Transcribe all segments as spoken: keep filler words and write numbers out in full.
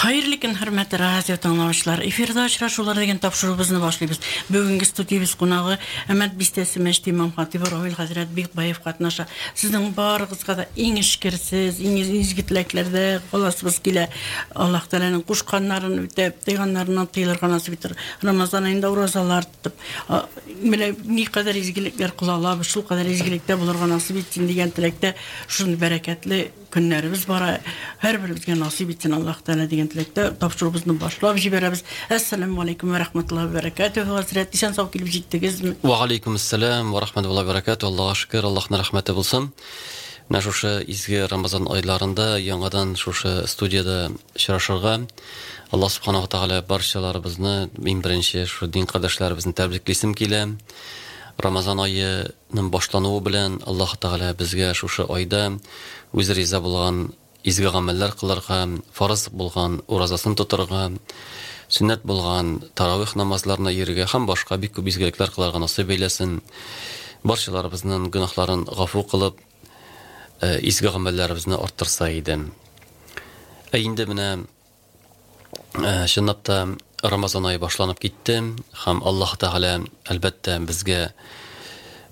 Хәерле көн, хөрмәтле радио тыңлаучылар. Эфирда очрашулар дигән тапшыруыбызны башлыйбыз. Бүгенге студиябез кунагы Әмәт бистәсе мәчете имам хатибы Равил хәзрәт Бикбаев катнаша. Сезнең барыгызга да иң эчкерсез, иң изге теләкләрдә каласыбыз килә. Аллаһ Тәгаләнең кушканнарын үтәп, тыйганнарыннан тыелырга насыйп итер. Рамазан аенда уразалар тотып, менә никадәр изгелекләр кыла алабыз, шул кадәр изгелектә булырга насыйп итсен дигән теләктә шундый бәрәкәтле көннәребез бара. Һәрберебезгә насыйп итсен Аллаһ Тәгалә дигән теләктә тапшыруыбызны башлап җибәрәбез. Әссәламү алейкум ва рахматуллаһи ва бәрәкәтүһ. Хәзрәт, исән сау килеп җиттегезме? Ва алейкум ассалам ва рахматуллаһи ва бәрәкәтүһ. Аллаһка шөкер, Аллаһның рәхмәте булсын. Менә шушы изге Рамазан айларында яңадан шушы студияда очрашырга Аллаһ субханаһу ва тәгалә барчаларыбызны, иң беренче шушы дин кардәшләребезне тәбриклисем килә. Рамазан аеның башлануы белән Аллаһ Тәгалә безгә шушы айда үзе риза булган изге гамәлләр кылырга, фарыз булган уразасын тотырга, сөннәт булган таравих намазларына йөрергә һәм башка бик күп изгелекләр кылырга насыйп әйләсен. Барчаларыбызның гөнаһларын гафу кылып, изге гамәлләребезне арттырса иде. Ә инде менә чынлап та Рамазан айы башланып китте һәм Аллаһ Тәгалә әлбәттә безгә,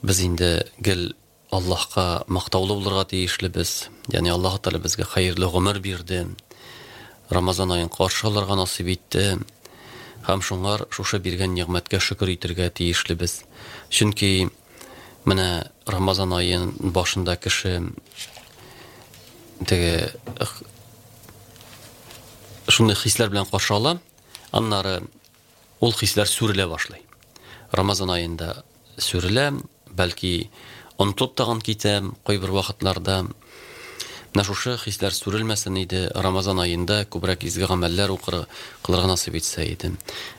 без инде гел Аллаһка мактаулы булырга тиешлебез. Ягъни Аллаһ Тәгалә безгә хәерле гомер бирде. Рамазан аен каршы алырга насыйп итте. Һәм шуңар шушы биргән нигъмәткә шөкер итәргә тиешлебез. Чөнки менә Рамазан аен башында кеше теге шундый хисләр белән каршы ала. Аннары ул хисләр сүрелә башлый. Рамазан аенда сүрелә, бәлки онытылып тагын китә кайбер вакытларда. Менә шушы хисләр сүрелмәсен иде, Рамазан аенда күбрәк изге гамәлләр укыр, кылырга насыйп итсә иде.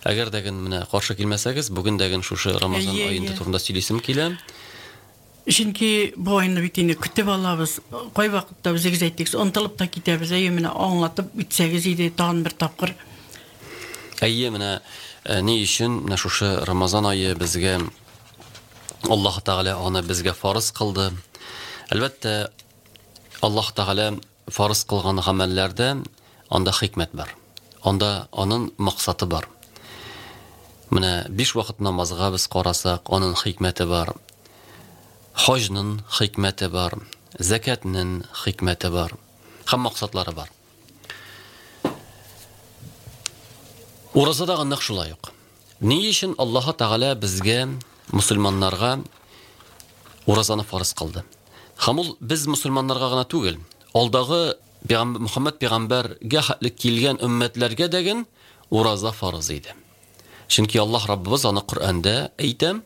Әгәр дә менә каршы килмәсәгез, бүген дә шушы Рамазан аенда турында сөйлисем килә. Чөнки бу айны бит инде көтеп алабыз. Кай вакытта үзегез әйттегез, онытылып та китәбез. Әйе, менә аңлатып үтсәгез иде тагын бер тапкыр. Әйе, менә ни өчен менә шушы Рамазан ае безгә Аллаһ Тәгалә аны безгә фарыз кылды. Әлбәттә, Аллаһ Тәгалә фарыз кылган гамәлләрдә анда хикмәт бар. Анда аның максаты бар. Менә биш вакыт намазга без карасак, аның хикмәте бар. Хаҗның хикмәте бар, зәкәтнең хикмәте бар һәм максатлары бар. Ураза да нәкъ шулай ук. Ни өчен Аллаһ Тәгалә безгә, мусульманнарга уразаны фарыз кылды? Һәм ул без мусульманнарга гына түгел, алдагы пәйгамбәр Мөхәммәд пәйгамбәргә хәтле килгән өммәтләргә дәген ураза фарыз иде. Чөнки Аллаһ Раббыбыз аны Коръәндә әйтә: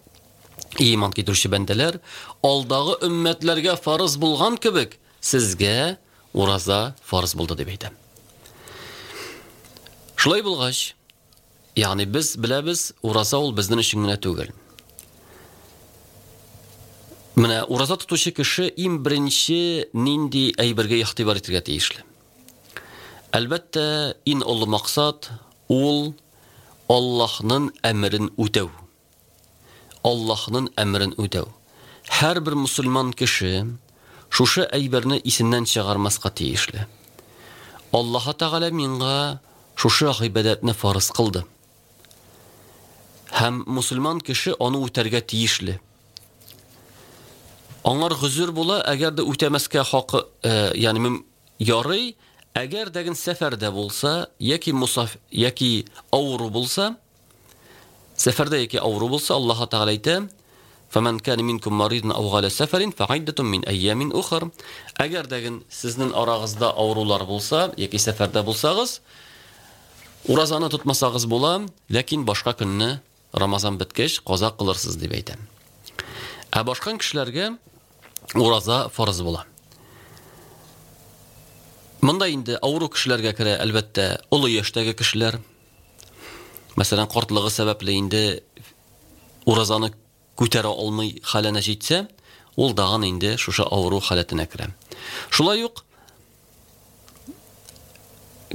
иман китерүче бәндәләр, алдагы өммәтләргә фарыз булган кебек, сезгә ураза фарыз булды дип әйтә. Шулай булгач, ягъни без беләбез, ураза ул безнең өчен генә түгел. Менә ураза тотучы кеше иң беренче нинди әйбергә игътибар итәргә тиешле? Әлбәттә, иң олы максат ул Аллаһның әмерен үтәү. Аллаһның әмерен үтәү. Һәрбер мусульман кеше шушы әйберне исеннән чыгармаска тиешле. Аллаһ Тәгалә миңа шушы гыйбадәтне фарыз кылды. Һәм мусульман кеше аны үтәргә тиешле. Аңар гозер була, әгәр дә үтәмәскә хакы, ягъни ярый, әгәр дә сәфәрдә булса, яки мусаф, яки авыру булса, сәфәрдә яки авыру булса, Аллаһ Тәгалә әйтә: "Фәмән кана минкум маридан ау галя сәфәрин фәгыйддатун мин айямин ухар". Әгәр дә сезнең арагызда авырулар булса, яки сәфәрдә булсагыз, уразаны тотмасагыз була, ләкин башка көнне Рамазан беткәч каза кылырсыз дип әйтә. Ә башка кешеләргә ураза фарыз була. Монда инде авыру кешеләргә керә, әлбәттә, олы яшьтәге кешеләр. Мәсәлән, картлыгы сәбәпле инде уразаны күтәрә алмый хәленә җитсә, ул дагын инде шушы авыру халәтенә керә. Шулай ук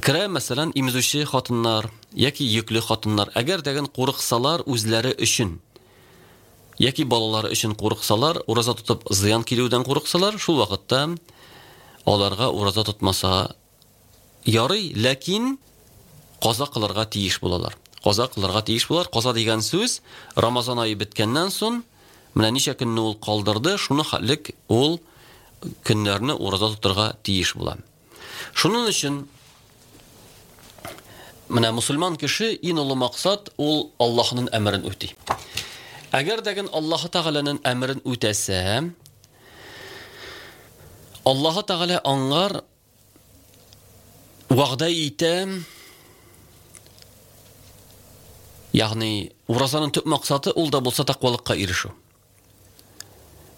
керә, мәсәлән, имезүче хатыннар яки йөкле хатыннар, әгәр дәген курыксалар үзләре өчен яки балалары өчен курыксалар, ураза тотып зыян килүдән курыксалар, шул вакытта аларга ураза тотмаса ярый, ләкин каза кылырга тиеш булалар. Каза кылырга тиеш булалар. Каза дигән сүз Рамазан ае беткәннән соң менә ничә көнне ул калдырды, шуны хәтлек ул көннәрне ураза тотырга тиеш була. Шуның өчен менә мусульман кеше иң олы максат ул Аллаһның әмерен үти. Әгәр дәген Аллаһ Тәгаләнең әмерен үтәсә, Аллаһ Тәгалә аңар вәгъдә итә, ягъни уразаның төп максаты ул да булса тәкъвалыкка ирешү.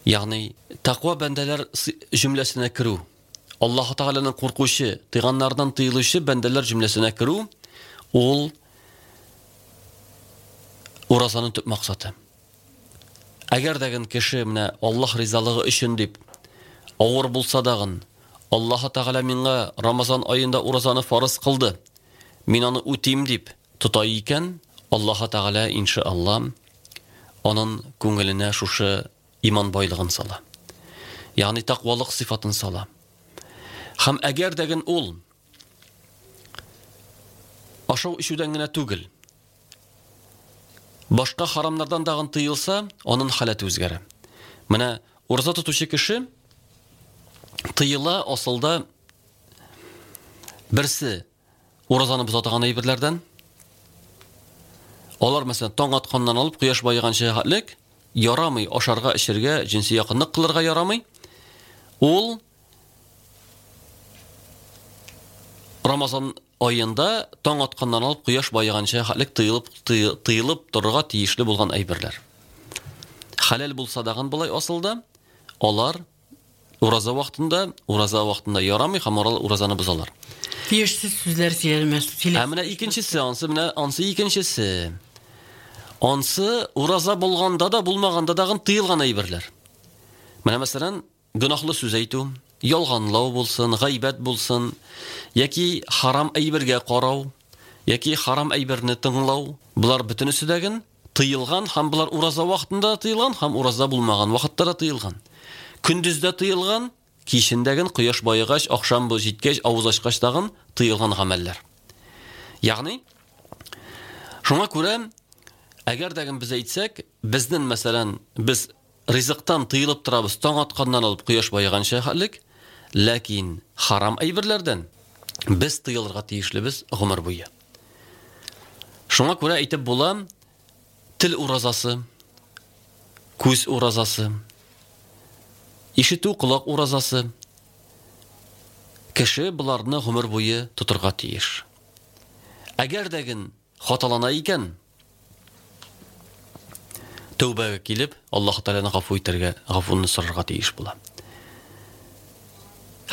Ягъни тәкъва бәндәләр җөмләсенә керү, Аллаһ Тәгаләнең куркучы, тыйганнардан тыелучы бәндәләр җөмләсенә керү ул уразаның төп максаты. Әгәр дәген кеше менә Аллаһ ризалыгы өчен дип авыр булса дагын, Аллаһ Тәгалә миңа Рамазан аенда уразаны фарыз кылды, мин аны үтим дип тота икән, Аллаһ Тәгалә иншалла аның күңеленә шушы иман байлыгын сала. Ягъни тәкъвалык сыйфатын сала. Һәм әгәр дәген ул ашау эчүдән генә түгел, башка харамнардан дагын тыелса, аның халәте үзгәрә. Менә ураза тотучы кеше тыела асылда берсе уразаны боза торган әйберләрдән. Алар мәсәлән таң атканнан алып кояш баеганча хәтлек ярамый ашарга, эчәргә, җенси якынлык кылырга ярамый. Ул Рамазан аенда таң атканнан алып кояш баеганча хәтлек тыелып, тыелып торырга тиешле булган әйберләр. Хәләл булса дагын болай асылда, алар ураза вакытында, ураза вакытында ярамый һәм алар уразаны бозалар. Тиешсез сүзләр сөйләмәс. Ә менә икенчесе, ансы менә ансы икенчесе. Ансы ураза булганда да булмаганда дагын тыелган әйберләр. Менә мәсәлән, гөнаһлы сүз әйтү, ялганлау булсын, гайбәт булсын, яки харам әйбергә карау, яки харам әйберне тыңлау, булар бөтенесе дәген тыелган һәм булар ураза вакытында тыелган һәм ураза булмаган вакытта да тыелган. Көндез дә тыелган, кичендәген кояш баегач, ахшам бу җиткәч, авыз ачкач тагын тыелган гамәлләр. Ягъни шуңа күрә әгәр дәген без әйтсәк, безнең мәсәлән, без ризыктан тыелып торабыз таң атканнан алып кояш баеганча хәллек, ләкин харам әйберләрдән без тыелырга тиешлебез гомер буе. Шуңа күрә әйтеп була, тел уразасы, күз уразасы, ишетү колак уразасы. Кеше буларны гомер буе тотырга тиеш. Әгәр дәген хаталана икән, тәүбәгә килеп, Аллаһ Тәгаләне гафу итәргә, гафуны сорарга тиеш була.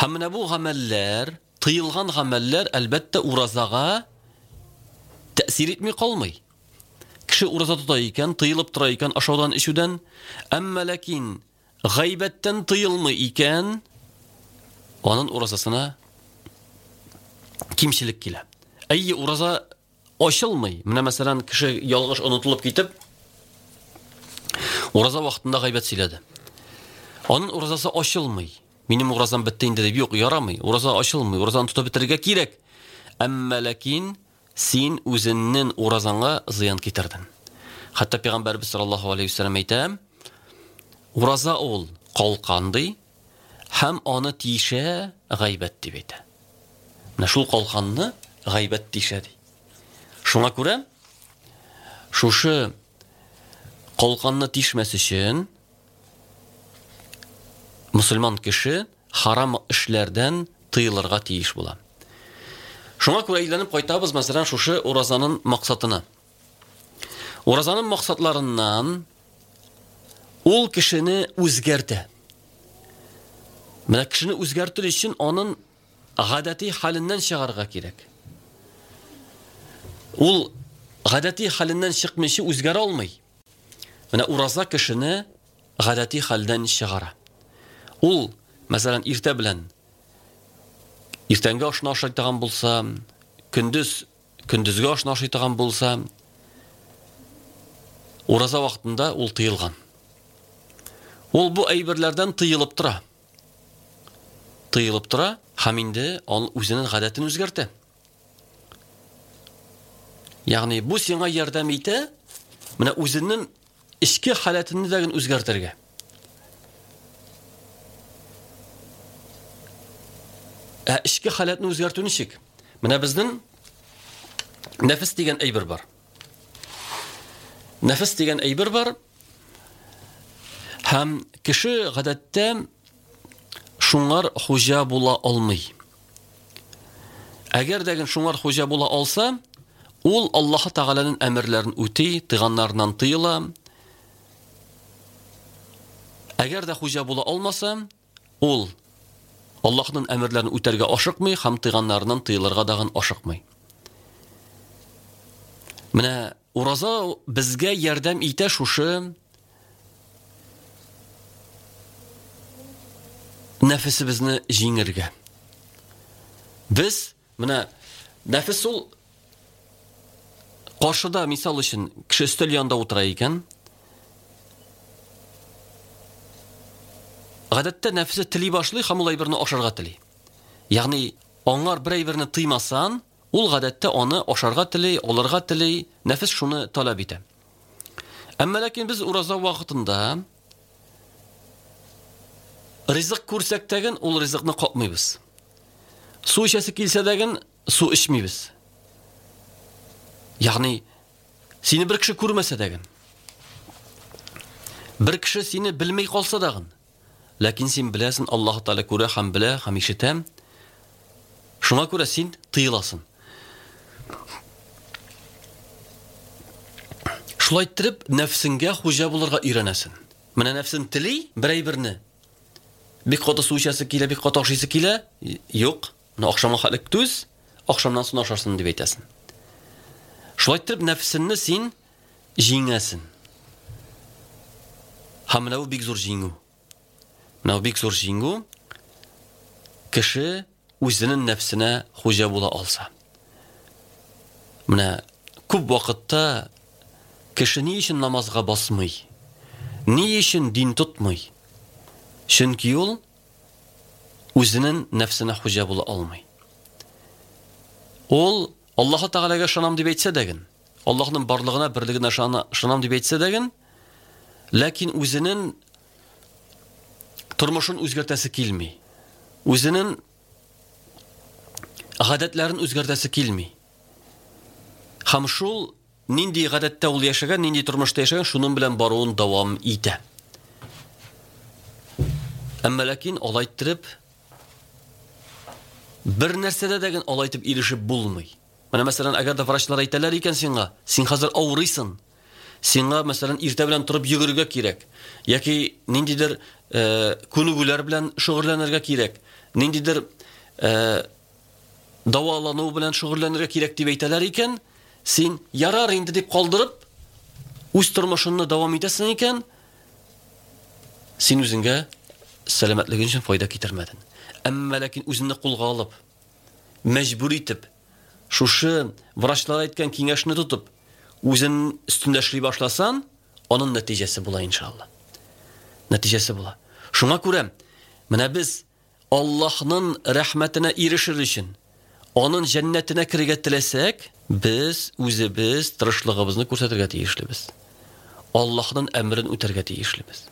Һәм менә бу гамәлләр, тыелган гамәлләр әлбәттә уразага тәэсир итми калмый. Кеше ураза тота икән, тыелып тора икән ашаудан, эчүдән, әмма ләкин гайбәттән тыелмый икән, аның уразасына кимчелек килә. Әйе, ураза ачылмый. Менә мәсәлән, кеше ялгыш онытылып китеп, ураза вакытында гайбәт сөйләде. Аның уразасы ачылмый. Минем уразам бетте инде дип, юк, ярамый. Ураза ачылмый, уразаны тотып бетерергә кирәк. Әмма ләкин син үзеңнең уразаңа зыян китердең. Хәтта пәйгамбәрбез саллаллаһу алейһи ва сәлләм әйтә, ураза ул калкан ди, һәм аны тишә гайбәт дип әйтә. Менә шул калканны гайбәт тишә ди. Шуңа күрә шушы калканны тишмәс өчен мусульман кеше харам эшләрдән тыелырга тиеш була. Шуңа күрә әйләнеп кайтабыз, мәсәлән, шушы уразаның максатына. Уразаның максатларыннан ул кешене үзгәртә. Менә кешене үзгәртер өчен аның гадәти хәленнән чыгарга кирәк. Ул гадәти хәленнән чыкмыйча үзгәрә алмый. Менә ураза кешене гадәти хәлдән чыгара. Ул, мәсәлән, иртә белән иртәнге ашны ашый торган булса, көндез көндезге ашны ашый торган булса, ураза вакытында ул тыелган. Ул бу әйберләрдән тыелып тора. Тыелып тора һәм инде ул үзенең гадәтен үзгәртә. Ягъни бу сиңа ярдәм итә, менә үзеңнең эчке халәтеңне дә үзгәртергә. Ә эчке халәтне үзгәртү ничек? Менә безнең нәфес дигән әйбер бар. Нәфес дигән әйбер бар. Һәм кеше гадәттә шуңар хуҗа була алмый. Әгәр дә шуңар хуҗа була алса, ул Аллаһ Тәгаләнең әмерләрен үти, тыйганнарыннан тыела. Әгәр дә хуҗа була алмаса, ул Аллаһның әмерләрен үтәргә ашыкмый һәм тыйганнарыннан тыелырга дагын ашыкмый. Менә ураза безгә ярдәм итә шушы нәфесебезне җиңергә. Без менә нәфес ул каршыда, мисал өчен, кеше өстәл янында утыра икән, гадәттә нәфесе тели башлый һәм ул әйберне ашарга тели. Ягъни аңар бер әйберне тыймасан, ул гадәттә аны ашарга тели, алырга тели, нәфес шуны таләп итә. Әмма ләкин без ураза вакытында ризык күрсәк тәген ул ризыкны капмыйбыз. Су эчәсе килсә дәген су эчмибез. Ягъни сине бер кеше күрмәсә дәген, бер кеше сине белмей калса дагын, ләкин син беләсең, Аллаһ Тәгалә күрә һәм белә һәм ишетә. Шуңа күрә син тыеласың. Шулай иттереп нәфсеңгә хуҗа булырга өйрәнәсең. Менә нәфсең тели бер әйберне. Бик каты су эчәсе килә, бик каты ашыйсы килә. Юк, менә ахшамга хәтлек түз, ахшамнан соң ашарсың дип әйтәсең. Шулай иттереп нәфсеңне син җиңәсең. Һәм менә бу бик зур җиңү. Менә бу бик зур җиңү. Кеше үзенең нәфсенә хуҗа була алса. Менә күп вакытта кеше ни өчен намазга басмый? Ни өчен дин тотмый? Чөнки ул үзенең нәфсенә хуҗа була алмый. Ул Аллаһ Тәгаләгә ышанам дип әйтсә дәген, Аллаһның барлыгына, берлегенә ышанам дип әйтсә дәген, ләкин үзенең тормышын үзгәртәсе килми. Үзенең гадәтләрен үзгәртәсе килми. Һәм шул нинди гадәттә ул яшәгән, нинди тормышта яшәгән, шуның белән баруын дәвам итә. Әмма ләкин алай иттереп бер нәрсәдә дә алай итеп ирешеп булмый. Менә мәсәлән, әгәр дә врачлар әйтәләр икән сиңа, син хәзер авырыйсың. Сиңа мәсәлән иртә белән торып йөгерергә кирәк, яки ниндидер э, күнегүләр белән шөгыльләнергә кирәк, ниндидер э, дәвалану белән шөгыльләнергә кирәк дип әйтәләр икән, син ярар инде дип калдырып үз тормышыңны дәвам итәсең икән, син үзеңгә сәламәтлегең өчен файда китермәдең. Әмма ләкин үзеңне кулга алып, мәҗбүр итеп, шушы врачлар әйткән киңәшне тотып, үзең өстендә эшли башласан, аның нәтиҗәсе була иншалла. Нәтиҗәсе була. Шуңа күрә менә без Аллаһның рәхмәтенә ирешер өчен, аның җәннәтенә керергә теләсәк, без үзебез тырышлыгыбызны күрсәтергә тиешлебез. Аллаһның әмерен үтәргә тиешлебез.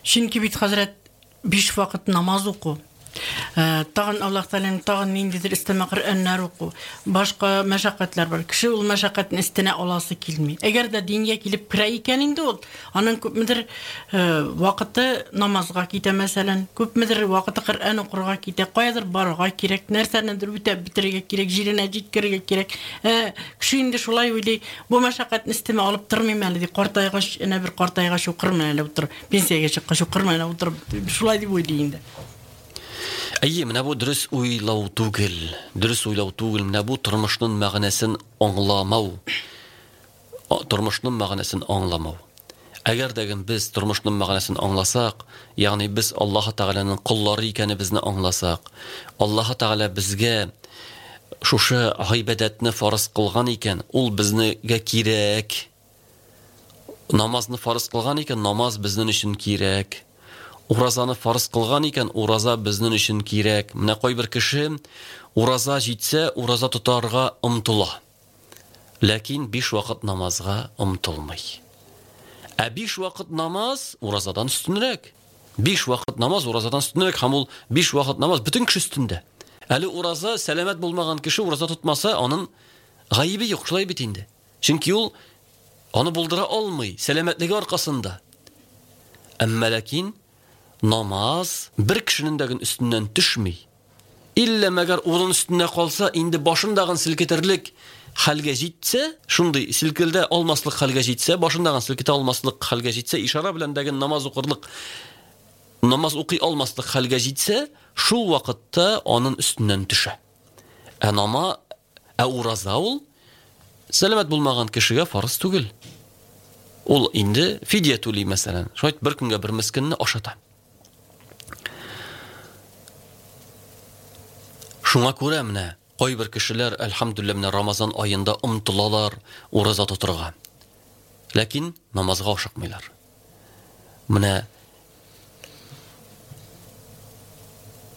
Чөнки бит хәзрәт биш вакыт намаз уку, тагын Аллаһ Тәгаләнең тагын ниндидер өстәмә Коръәннәр уку, башка мәшәкатьләр бар. Кеше ул мәшәкатьне өстенә аласы килми. Әгәр дә дингә килеп керә икән инде ул, аның күпмедер вакыты намазга китә мәсәлән, күпмедер вакыты Коръән укырга китә, каядыр барырга кирәк, нәрсәнедер үтәп бетерергә кирәк, җиренә җиткерергә кирәк. Кеше инде шулай уйлый, бу мәшәкатьне өстемә алып тормыйм әле ди, картайгач, әнә бер картайгач укырмын әле утырып, пенсиягә чыккач укырмын әле утырып, шулай дип уйлый инде. Әйе, менә бу дөрес уйлау түгел. Дөрес уйлау түгел. Менә бу тормышның мәгънәсен аңламау. Тормышның мәгънәсен аңламау. Әгәр дә без тормышның мәгънәсен аңласак, ягъни без Аллаһ Тәгаләнең коллары икәнебезне аңласак, Аллаһ Тәгалә безгә шушы гыйбадәтне фарыз кылган икән, ул безгә кирәк. Намазны фарыз кылган икән, намаз безнең өчен кирәк. Уразаны фарыз кылган икән, ураза безнең өчен кирәк. Менә кайбер кеше ураза җитсә, ураза тотарга омтыла. Ләкин биш вакыт намазга омтылмый. Ә биш вакыт намаз уразадан өстенрәк. Биш вакыт намаз уразадан өстенрәк, һәм ул биш вакыт намаз бөтен кеше өстендә. Әле ураза сәламәт булмаган кеше ураза тотмаса, аның гаебе юк, шулай бит инде. Чөнки ул аны булдыра алмый, сәламәтлеге аркасында. Әмма ләкин намаз бер кешенең дә өстеннән төшми. Иллә мәгәр урын өстендә калса, инде башындагын селкетерлек хәлгә җитсә, шундый селкелдә алмаслык хәлгә җитсә, башындагын селкетә алмаслык хәлгә җитсә, ишара белән дәген намаз укырлык, намаз укый алмаслык хәлгә җитсә, шул вакытта аның өстеннән төшә. Ә нама, ә ураза ул сәламәт булмаган кешегә фарыз түгел. Ул инде фидия түли, мәсәлән. Шулай бер көнгә бер мискинне ашата. Шуңа күрә менә кайбер кешеләр, әлхәмдүлилләһ, менә Рамазан аенда омтылалар ураза тотырга. Ләкин намазга ашыкмыйлар. Менә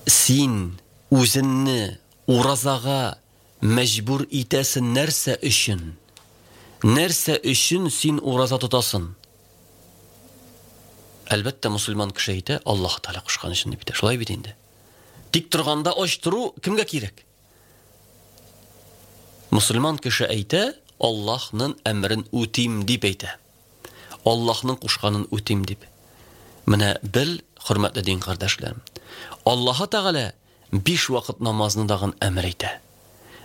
син үзеңне уразага мәҗбүр итәсең нәрсә өчен? Нәрсә өчен син ураза тотасың? Әлбәттә, мусульман кеше әйтә, Аллаһ Тәгалә кушкан өчен дип әйтә. Шулай бит инде. Тик торганда ач тору кемгә кирәк? Мусульман кеше әйтә, Аллаһның әмрен үтим дип әйтә. Аллаһның кушканын үтим дип. Менә бел, хөрмәтле дин кардәшләрем, Аллаһ Тәгалә биш вакыт намазны дагын әмер итә.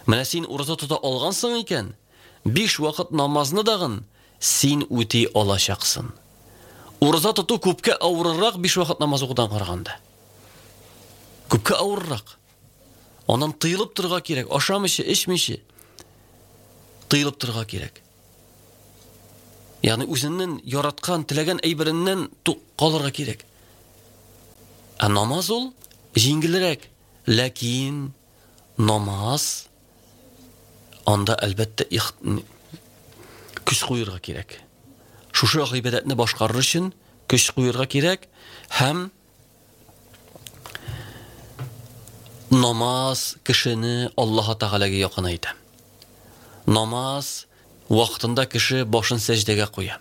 Менә син ураза тота алгансың икән, биш вакыт намазны дагын син үти алачаксың. Ураза тоту күпкә авыррак биш вакыт намаз укудан караганда. Күпкә авыррак. Аннан тыелып торырга кирәк, ашамыйча, эчмичә тыелып торырга кирәк. Ягъни үзеңнең яраткан, теләгән әйбереннән калырга кирәк. Ә намаз ул җиңелрәк, ләкин намаз анда әлбәттә көч куярга кирәк. Шушы гыйбадәтне башкарыр өчен көч куярга кирәк һәм намаз кешене Аллаһ Тәгаләгә якынайта. Намаз вакытында кеше башын сәҗдәгә куя.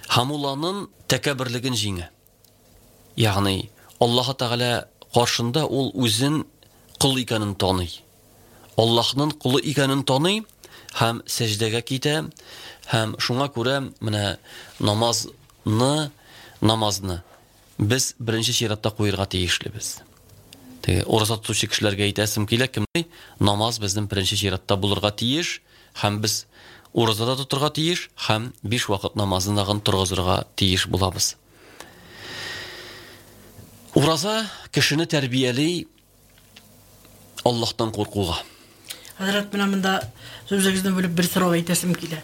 Һәм ул аның тәкәбберлеген җиңә. Ягъни Аллаһ Тәгалә каршында ул үзен кол икәнен таный. Аллаһның кулы икәнен таный һәм сәҗдәгә китә, һәм шуңа күрә менә намазны, намазны без беренче чиратта куярга тиешлебез. Теге ураза тотучы кешеләргә әйтәсем килә, кем намаз безнең беренче чиратта булырга тиеш, һәм без уразада тотырга тиеш, һәм биш вакыт намазын дагын торгызырга тиеш булабыз. Ураза кешене тәрбияли Аллаһтан куркуга. Хәзрәт, менә монда сүзегезне бүлеп бер сорау әйтәсем килә.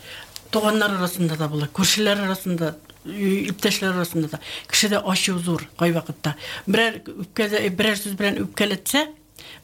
Туганнар арасында да була, күршеләр арасында, иптәшләр арасында да. Кешедә ачу зур кайвакытта. Берәр үпкәдә, берәр сүз белән үпкәләтсә,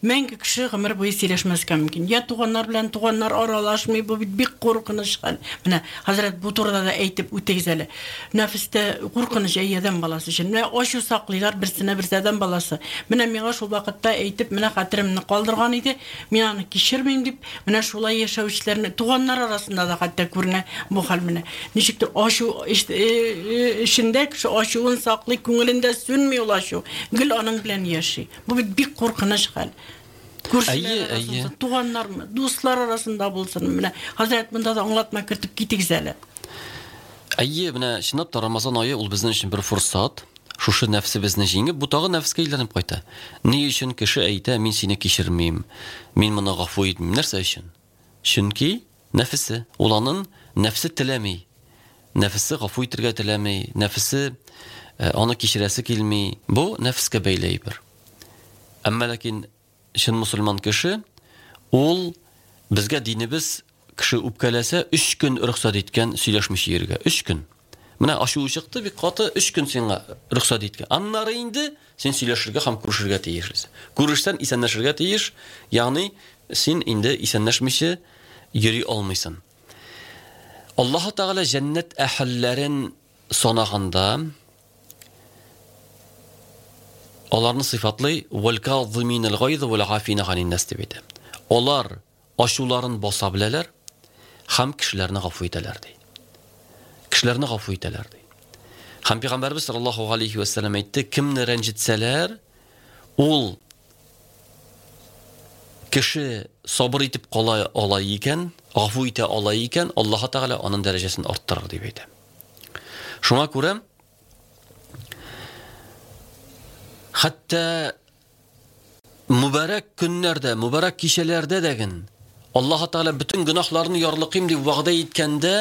мәңге кеше гомер буе сөйләшмәскә мөмкин. Я туганнар белән туганнар аралашмый, бу бит бик куркыныч хәл. Менә хәзрәт бу турыда да әйтеп үтегез әле. Нәфестә куркыныч әй адәм баласы өчен. Менә ачу саклыйлар берсенә берсе адәм баласы. Менә миңа шул вакытта әйтеп, менә хәтеремне калдырган иде, мин аны кичермим дип, менә шулай яшәүчеләрне туганнар арасында да хәтта күренә бу хәл менә. Ничектер ачу эчендә кеше ачуын саклый, күңелендә сүнми ул ачу. Гел аның белән яши. Бу бит бик куркыныч хәл. Күршеләр арасында, туганнармы, дуслар арасында булсын. Менә хәзрәт монда да аңлатма кертеп китегез әле. Әйе, менә чынлап та Рамазан ае ул безнең өчен бер форсат. Шушы нәфсебезне җиңеп, бу тагы нәфескә әйләнеп кайта. Ни өчен кеше әйтә, мин сине кичермим, мин моны гафу итмим? Нәрсә өчен? Чөнки нәфесе, ул аның нәфсе теләми. Нәфесе гафу итергә теләми, нәфесе аны кичерәсе килми. Бу нәфескә бәйле әйбер. Әмма ләкин чын мусульман кеше, ул безгә динебез кеше үпкәләсә, өч көн рөхсәт иткән сөйләшмичә йөрергә. Өч көн. Менә ачуы чыкты, бик каты, өч көн сиңа рөхсәт иткән. Аннары инде син сөйләшергә һәм күрешергә тиешсең. Күрешсән исәнләшергә тиеш, ягъни син инде исәнләшмичә йөри алмыйсың. Аллаһ Тәгалә җәннәт әһелләрен санаганда аларны сыйфатлый вәл-казиминал гайз вәл-афина ганин нас дип әйтә. Алар ачуларын баса беләләр Һәм кешеләрне гафу итәләр ди. Кешеләрне гафу итәләр ди. Һәм Пәйгамбәрбез саллаллаһу алейхи ва саллям әйтте, кемне рәнҗетсәләр, ул кеше сабыр итеп кала ала икән, гафу итә ала икән, Аллаһ Тәгалә аның дәрәҗәсен арттырыр дип әйтә. Шуңа күрә хәтта мөбарәк көннәрдә, мөбарәк кичәләрдә дәген Аллаһ Тәгалә бөтен гөнаһларны ярлыкыйм дип вәгъдә иткәндә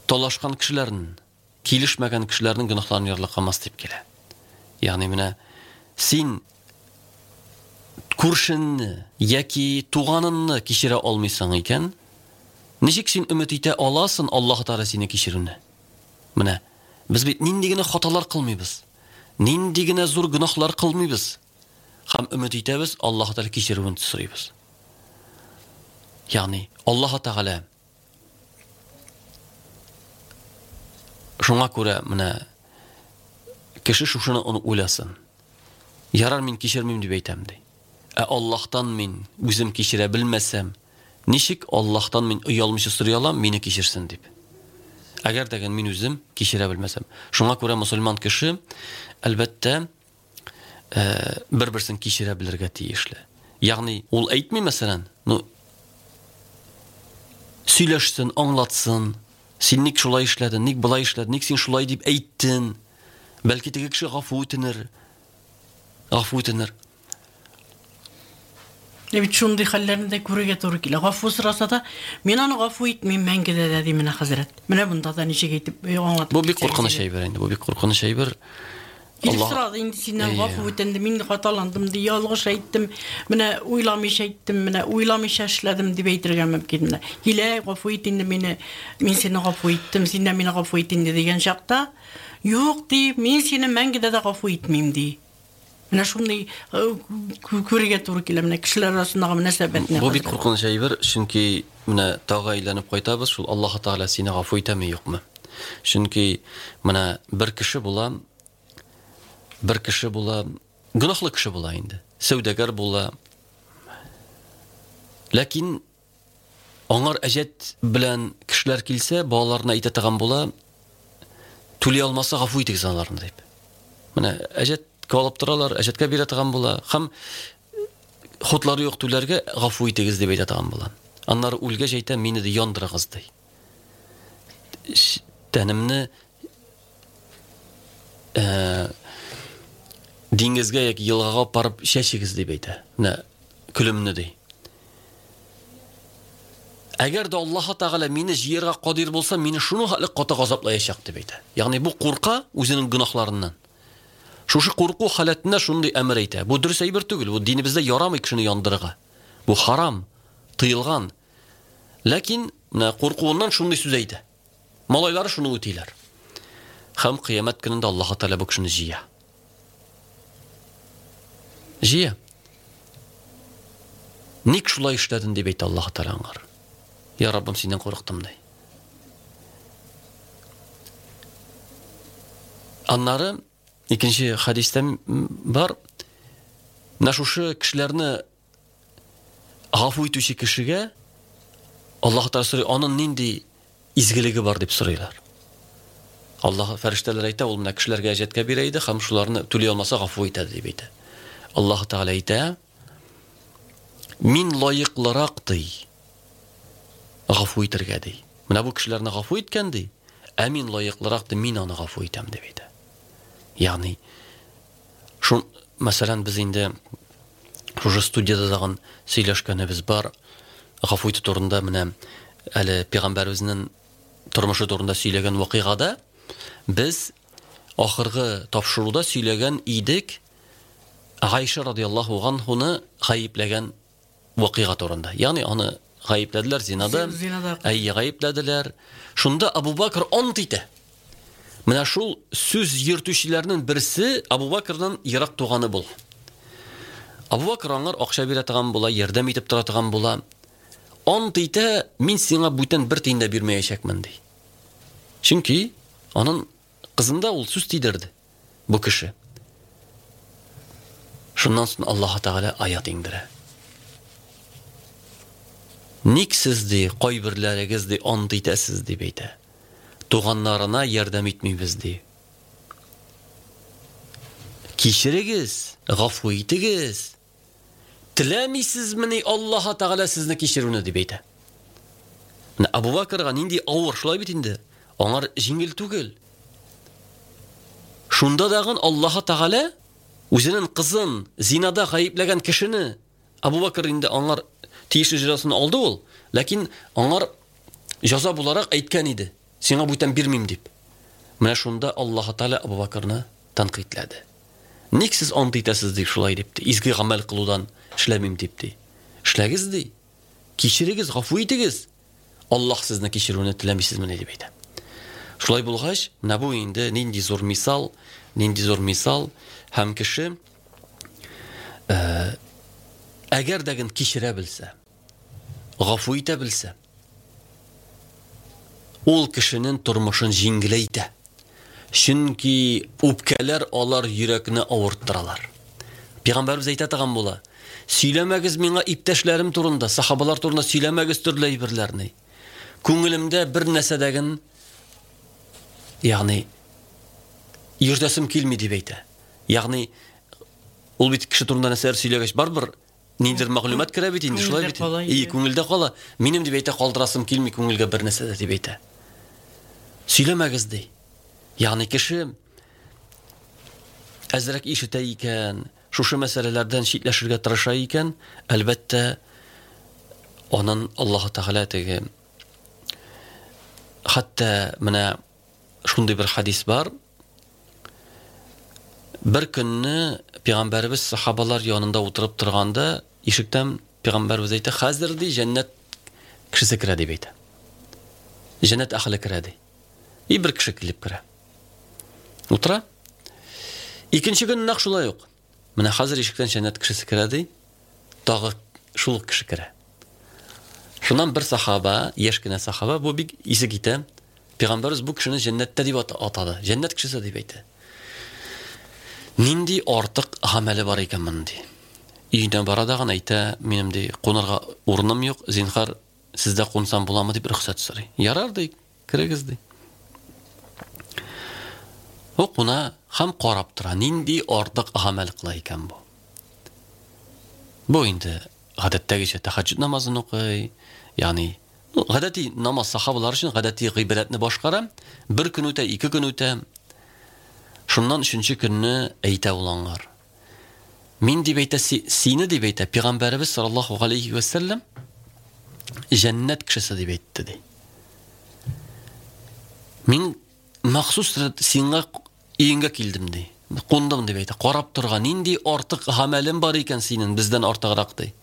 талашкан кешеләрнең, килешмәгән кешеләрнең гөнаһларын ярлыкамас дип килә. Ягъни менә син күршеңне яки туганыңны кичерә алмыйсың икән, ничек син өмет итә аласың Аллаһ Тәгалә сине кичерүне? Менә без бит нинди генә хаталар кылмыйбыз, нинди генә зур гөнаһлар кылмыйбыз һәм өмет итәбез Аллаһ Тәгалә кичерүен сорыйбыз. Ягъни Аллаһ Тәгалә шуңа күрә менә кеше шушыны уйласын. Ярар, мин кичермим дип әйтәм ди. Ә Аллаһтан мин үзем кичерә белмәсәм, ничек Аллаһтан мин оялмыйча сорый алам, мине кичерсен дип. Әгәр дә мин үзем кичерә белмәсәм. Шуңа күрә мөселман кеше әлбәттә бер-берсен кичерә белергә тиешле. Ягъни ул әйтми, мәсәлән, ну сөйләшсен, аңлатсын. Син ник шулай эшләдең, ник болай эшләдең, ник син шулай дип әйттең? Бәлки теге кеше гафу үтенер. Гафу үтенер. Ә бит шундый хәлләрне дә күрергә туры килә. Гафу сораса да, мин аны гафу итмим мәңге дә ди менә хәзрәт. Менә монда да ничек әйтеп аңлатып. Бу бик куркыныч әйбер инде, бу бик куркыныч әйбер. Килеп сорады инде синнән гафу үтенде, мин хаталандым ди, ялгыш әйттем, менә уйламыйча әйттем, менә уйламыйча эшләдем дип әйтергә мөмкин менә. Килә, гафу ит инде мине, мин сине гафу иттем, син дә мине гафу ит инде дигән чакта, юк ди, мин сине мәңге дә гафу итмим ди. Менә шундый күрергә туры килә менә кешеләр арасындагы мөнәсәбәтне. Бу бик куркыныч әйбер, чөнки менә тагы әйләнеп кайтабыз, шул Аллаһ Тәгалә сине гафу итәме, юкмы? Чөнки менә бер кеше була, бер кеше була, гөнаһлы кеше була инде, сәүдәгәр була. Ләкин аңар әҗәт белән кешеләр килсә, балаларына әйтә торган була, түли алмаса гафу итегез аларны дип. Менә әҗәт алып торалар, әҗәткә бирә торган була. Һәм хутлары юк түләргә гафу итегез дип әйтә торган була. Аннары үлгәч әйтә, мине дә яндырыгыз ди. Тәнемне диңгезгә яки елгага барып чәчегез дип әйтә. Менә көлемне ди. Әгәр дә Аллаһ Тәгалә мине җыярга кадир булса, мине шуның хәтле каты газаплаячак дип әйтә. Ягъни бу курка үзенең гөнаһларыннан. Шушы курку халәтендә шундый әмер әйтә. Бу дөрес әйбер түгел, бу динебездә ярамый кешене яндырырга. Бу харам, тыелган. Ләкин менә куркуыннан шундый сүз әйтә. Малайлары шуны үтиләр. Һәм кыямәт көнендә Аллаһ Тәгалә бу кешене җыя. Җыя. Ник шулай эшләдең дип әйтә Аллаһ Тәгалә аңар. Я Раббым, синнән курыктым ди. Аннары икенче хәдистә бар. Менә шушы кешеләрне гафу итүче кешегә Аллаһ Тәгалә сорый, аның нинди изгелеге бар дип сорыйлар. Аллаһ фәрештәләр әйтә, ул менә кешеләргә әҗәткә бирә иде һәм шуларны түли алмаса гафу итә дип әйтә. Аллаһ Тәгалә әйтә, мин лаеклырак ди, гафу итәргә ди. Менә бу кешеләрне гафу иткән ди, ә мин лаеклырак ди, мин аны гафу итәм дип әйтә. Ягъни шун, мәсәлән, без инде шушы студияда тагын сөйләшкәнебез бар. Гафу итү турында менә әле пәйгамбәребезнең тормышы турында сөйләгән вакыйгада без ахыргы тапшыруда сөйләгән идек Гайша радияллаһу анһуны гаепләгән вакыйга турында. Ягъни аны гаепләделәр зинада. Зинада. Әйе, гаепләделәр. Шунда Абу Бакр ант итә. Менә шул сүз йөртүчеләрнең берсе Абу Бакрның ерак туганы була. Абу Бакр аңар акча бирә торган була, ярдәм итеп тора торган була. Ант итә, мин сиңа бүтән бер тиен дә бирмәячәкмен ди. Чөнки аның кызында ул сүз тидерде бу кеше. Шуннан соң Аллаһ Тәгалә аят иңдерә. Ник сез ди, кайберләрегез ди, ант итәсез дип әйтә. Туганнарына ярдәм итмибез ди. Кичерегез, гафу итегез. Теләмисезмени Аллаһ Тәгалә сезне кичерүне дип әйтә. Менә Абу Бакрга нинди авыр, шулай бит инде. Аңар җиңел түгел. Шунда дагын Аллаһ Тәгалә үзенең кызын зинада гаепләгән кешене Абу Бакр инде аңар тиешле җәзасын алды ул, ләкин аңар җәза буларак әйткән иде. Сиңа бүтән бирмим дип. Менә шунда Аллаһ Тәгалә Абу Бакрны тәнкыйтьләде. Ник сез ант итәсез дип шулай дип, изге гамәл кылудан эшләмим дип ди. Эшләгез ди. Кичерегез, гафу итегез. Аллаһ сезне кичерүне теләмисезмени дип әйтә. Шулай булгач, менә бу инде нинди зур мисал, нинди зур мисал һәм кеше әгәр дә ген кичерә белсә, гафу итә белсә, ул кешенең тормышын җиңеләйтә. Чөнки үпкәләр алар йөрәкне авырттыралар. Пәйгамбәрбез әйтә торган була: "Сөйләмәгез миңа иптәшләрем турында, сахабалар турында сөйләмәгез төрле әйберләрне. Күңелемдә бер нәрсәдәген, ягъни йөртәсем килми" дип әйтә. Ягъни ул бит кеше турында нәрсәләр сөйләгәч, барыбер ниндидер мәгълүмат керә бит инде, шулай бит. И, күңелдә кала. Минем дип әйтә, калдырасым килми күңелгә бер нәрсә дә дип әйтә. Сөйләмәгез ди. Ягъни кеше әзрәк ишетә икән, шушы мәсьәләләрдән читләшергә тырыша икән, әлбәттә, анын Аллаһ Тәгалә теге хәтта менә шундый бер хадис бар. Бер көнне пәйгамбәребез сахабалар янында утырып торганда, ишектән пәйгамбәребез әйтә: "Хәзер ди җәннәт кешесе керә" дип әйтә. Җәннәт әһле керә ди. И бер кеше килеп керә. Утыра. Икенче көн нәкъ шулай ук. Менә хәзер ишектән җәннәт кешесе керә ди. Тагы шул ук кеше керә. Шуннан бер сахаба, яшь кенә сахаба, бу бик исе китә. Пәйгамбәребез бу кешене җәннәттә дип атады. Җәннәт кешесе дип әйтә. Нинди артык гамәле бар икән моның ди. Өенә бара да гына әйтә: "Минем ди кунарга урыным юк, зинһар сездә кунсам буламы?" дип рөхсәт сорый. Ярар ди, керегез ди. Ул куна һәм карап тора, нинди артык гамәл кыла икән бу. Бу инде гадәттәгечә тәһәҗҗүд намазын укый, ягъни ну, гадәти намаз сахабалар өчен гадәти гыйбадәтне башкара. Бер көн үтә, ике көн үтә. Шуннан өченче көнне әйтә ул аңар: "Мин дип әйтә, сине дип әйтә, пәйгамбәребез саллаллаһу алейхи ва сәлләм җәннәт кешесе дип әйтте" ди. Мин махсус сиңа өеңгә килдем ди. Кундым дип әйтә. Карап торган нинди артык гамәлем бар икән синең бездән артыграк ди.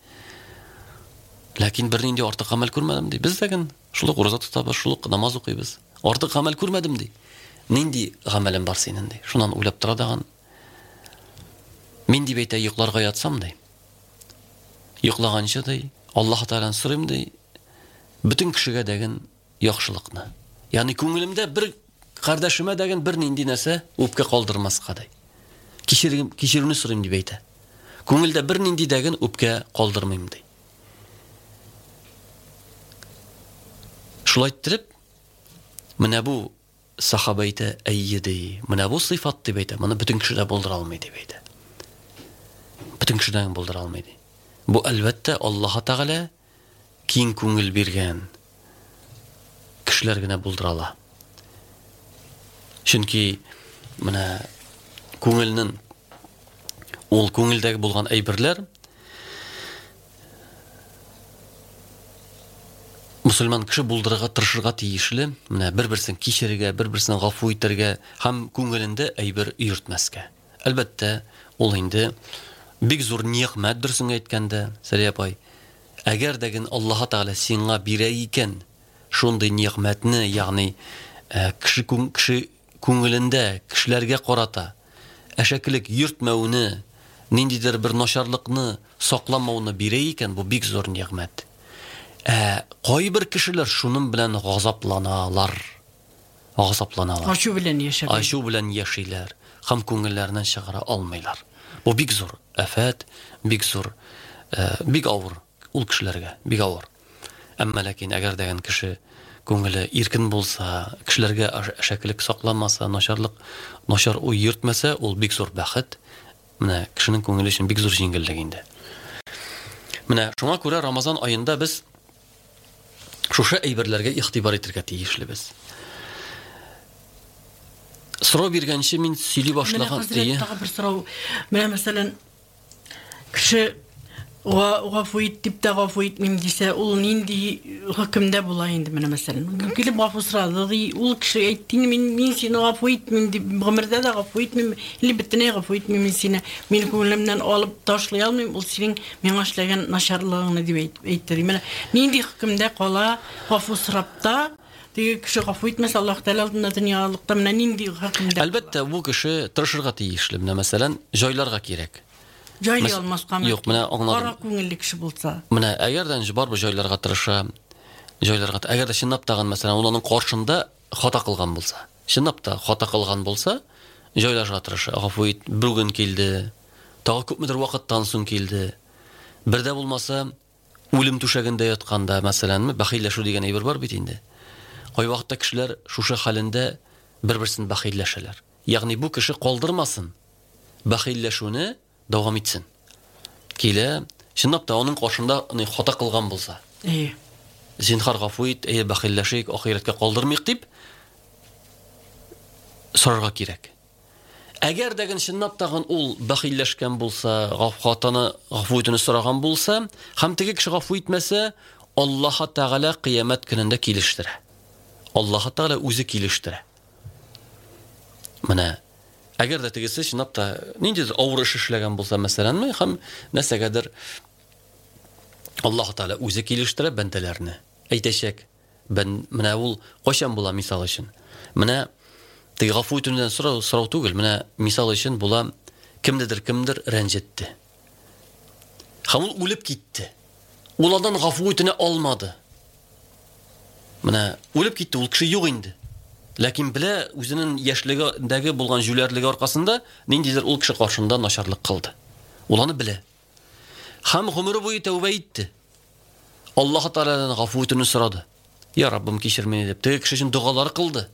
Ләкин бер нинди артык гамәл күрмәдем ди. Без дә ген шул ук ураза тотабыз, шул ук намаз укыйбыз. Артык гамәл күрмәдем ди. Нинди гамәлем бар синең ди. Шуннан уйлап тора дагын. Мин дип әйтә, йокларга ятсам ди. Йоклаганчы ди, Аллаһ Тәгаләдән сорыйм ди, бөтен кешегә дәген яхшылыкны. Ягъни күңелемдә бер кардәшемә дәген бер нинди нәрсә үпкә калдырмаска ди. Кичерим, кичерүне сорыйм дип әйтә. Күңелдә бер нинди дәген үпкә калдырмыйм ди. Шулай иттереп, менә бу сахаба әйтә, әйе ди, менә бу сыйфат дип әйтә, моны бөтен кеше дә булдыра алмый дип әйтә. Бөтен кеше дә булдыра алмый ди. Бу әлбәттә Аллаһ Тәгалә киң күңел биргән кешеләр генә булдыра ала. Чөнки менә күңелнең ул күңелдәге булган әйберләр мусульман кеше булдырырга тырышырга тиешле, менә бер-берсен кичерергә, бер-берсен гафу итәргә һәм күңелендә әйбер йөртмәскә. Әлбәттә, ул инде бик зур нигъмәт, дөресен әйткәндә, Сәрия апай, әгәр дә ген Аллаһ Тәгалә сиңа бирә икән шундый нигъмәтне, ягъни кеше кеше күңелендә кешеләргә карата әшәкелек йөртмәүне, ниндидер бер начарлыкны сакламауны бирә икән, бу бик зур нигъмәт. Ә кайбер кешеләр шуның белән газапланалар. Газапланалар. Ачу белән яшәп. Ачу белән яшиләр һәм күңелләреннән чыгара алмыйлар. Бу бик зур афәт, бик зур, бик авыр ул кешеләргә, бик авыр. Әмма ләкин әгәр дәгән кеше күңеле иркен булса, кешеләргә әшәкелек сакламаса, начарлык, начар уй йөртмәсә, ул бик зур бәхет. Менә кешенең күңеле өчен бик зур җиңеллек инде. Менә шуңа күрә Рамазан аенда без шушы әйберләргә игътибар итәргә тиешлебез. Сорау биргәнче мин сөйли башлаган. Менә тагы бер сорау. Менә мәсәлән, кеше гафу ит дип тә гафу итмим дисә, ул нинди хөкемдә була инде менә мәсәлән? Килеп гафу сорады, ди, ул кеше әйтте, мин мин сине гафу итмим дип, гомердә дә гафу итмим, или бөтенләй гафу итмим мин сине, мин күңелемнән алып ташлый алмыйм, ул синең миңа эшләгән начарлыгыңны дип әйтте. Менә нинди хөкемдә кала гафу сорап та, теге кеше гафу итмәсә, Аллаһ Тәгалә алдында дөньялыкта менә нинди хөкемдә? Әлбәттә, бу кеше тырышырга тиешле. Менә мәсәлән, җайларга кирәк. Җайлый алмаска мөмкин. Юк, менә аңладым. Кара күңелле кеше булса. Менә әгәрдән барбы җайларга тырыша, җайларга, әгәр дә чынлап тагын мәсәлән, ул аның каршында хата кылган булса, чынлап та хата кылган булса, җайларга тырыша. Гафу ит, бүген килде, тагы күпмедер вакыттан соң килде. Бер дә булмаса, үлем түшәгендә ятканда, мәсәләнме, бәхилләшү дигән әйбер бар бит инде. Кайвакытта кешеләр шушы хәлендә бер-берсен бәхилләшәләр. Ягъни бу кеше калдырмасын, бәхилләшүне дәвам итсен. Килә, чынлап та аның каршында хата кылган булса. Әйе. Зинһар гафу ит, әйе, бәхилләшик, ахирәткә калдырмыйк дип сорарга кирәк. Әгәр дә чынлап тагын ул бәхилләшкән булса, хатаны гафу итүне сораган булса, һәм теге кеше гафу итмәсә, Аллаһ Тәгалә кыямәт көнендә килештерә. Аллаһ Тәгалә үзе килештерә. Менә әгәр дә тегесе чынлап та ниндидер авыр эш эшләгән булса, мәсәләнме, һәм нәрсәгәдер Аллаһ Тәгалә үзе килештерә бәндәләрне. Әйтәчәк, бән менә ул кайчан була мисал өчен? Менә теге гафу итүдән сорау, сорау түгел, менә мисал өчен була кемдедер кемдер рәнҗетте. Һәм ул үлеп китте. Ул аннан гафу итүне алмады. Менә үлеп китте, ул кеше юк инде. Ләкин белә үзенең яшьлегендәге булган җүләрлеге аркасында ниндидер ул кеше каршында начарлык кылды. Ул аны белә. Һәм гомере буе тәүбә итте. Аллаһ Тәгаләдән гафу итүне сорады. Я Раббым, кичер мине дип. Теге кеше өчен догалар кылды.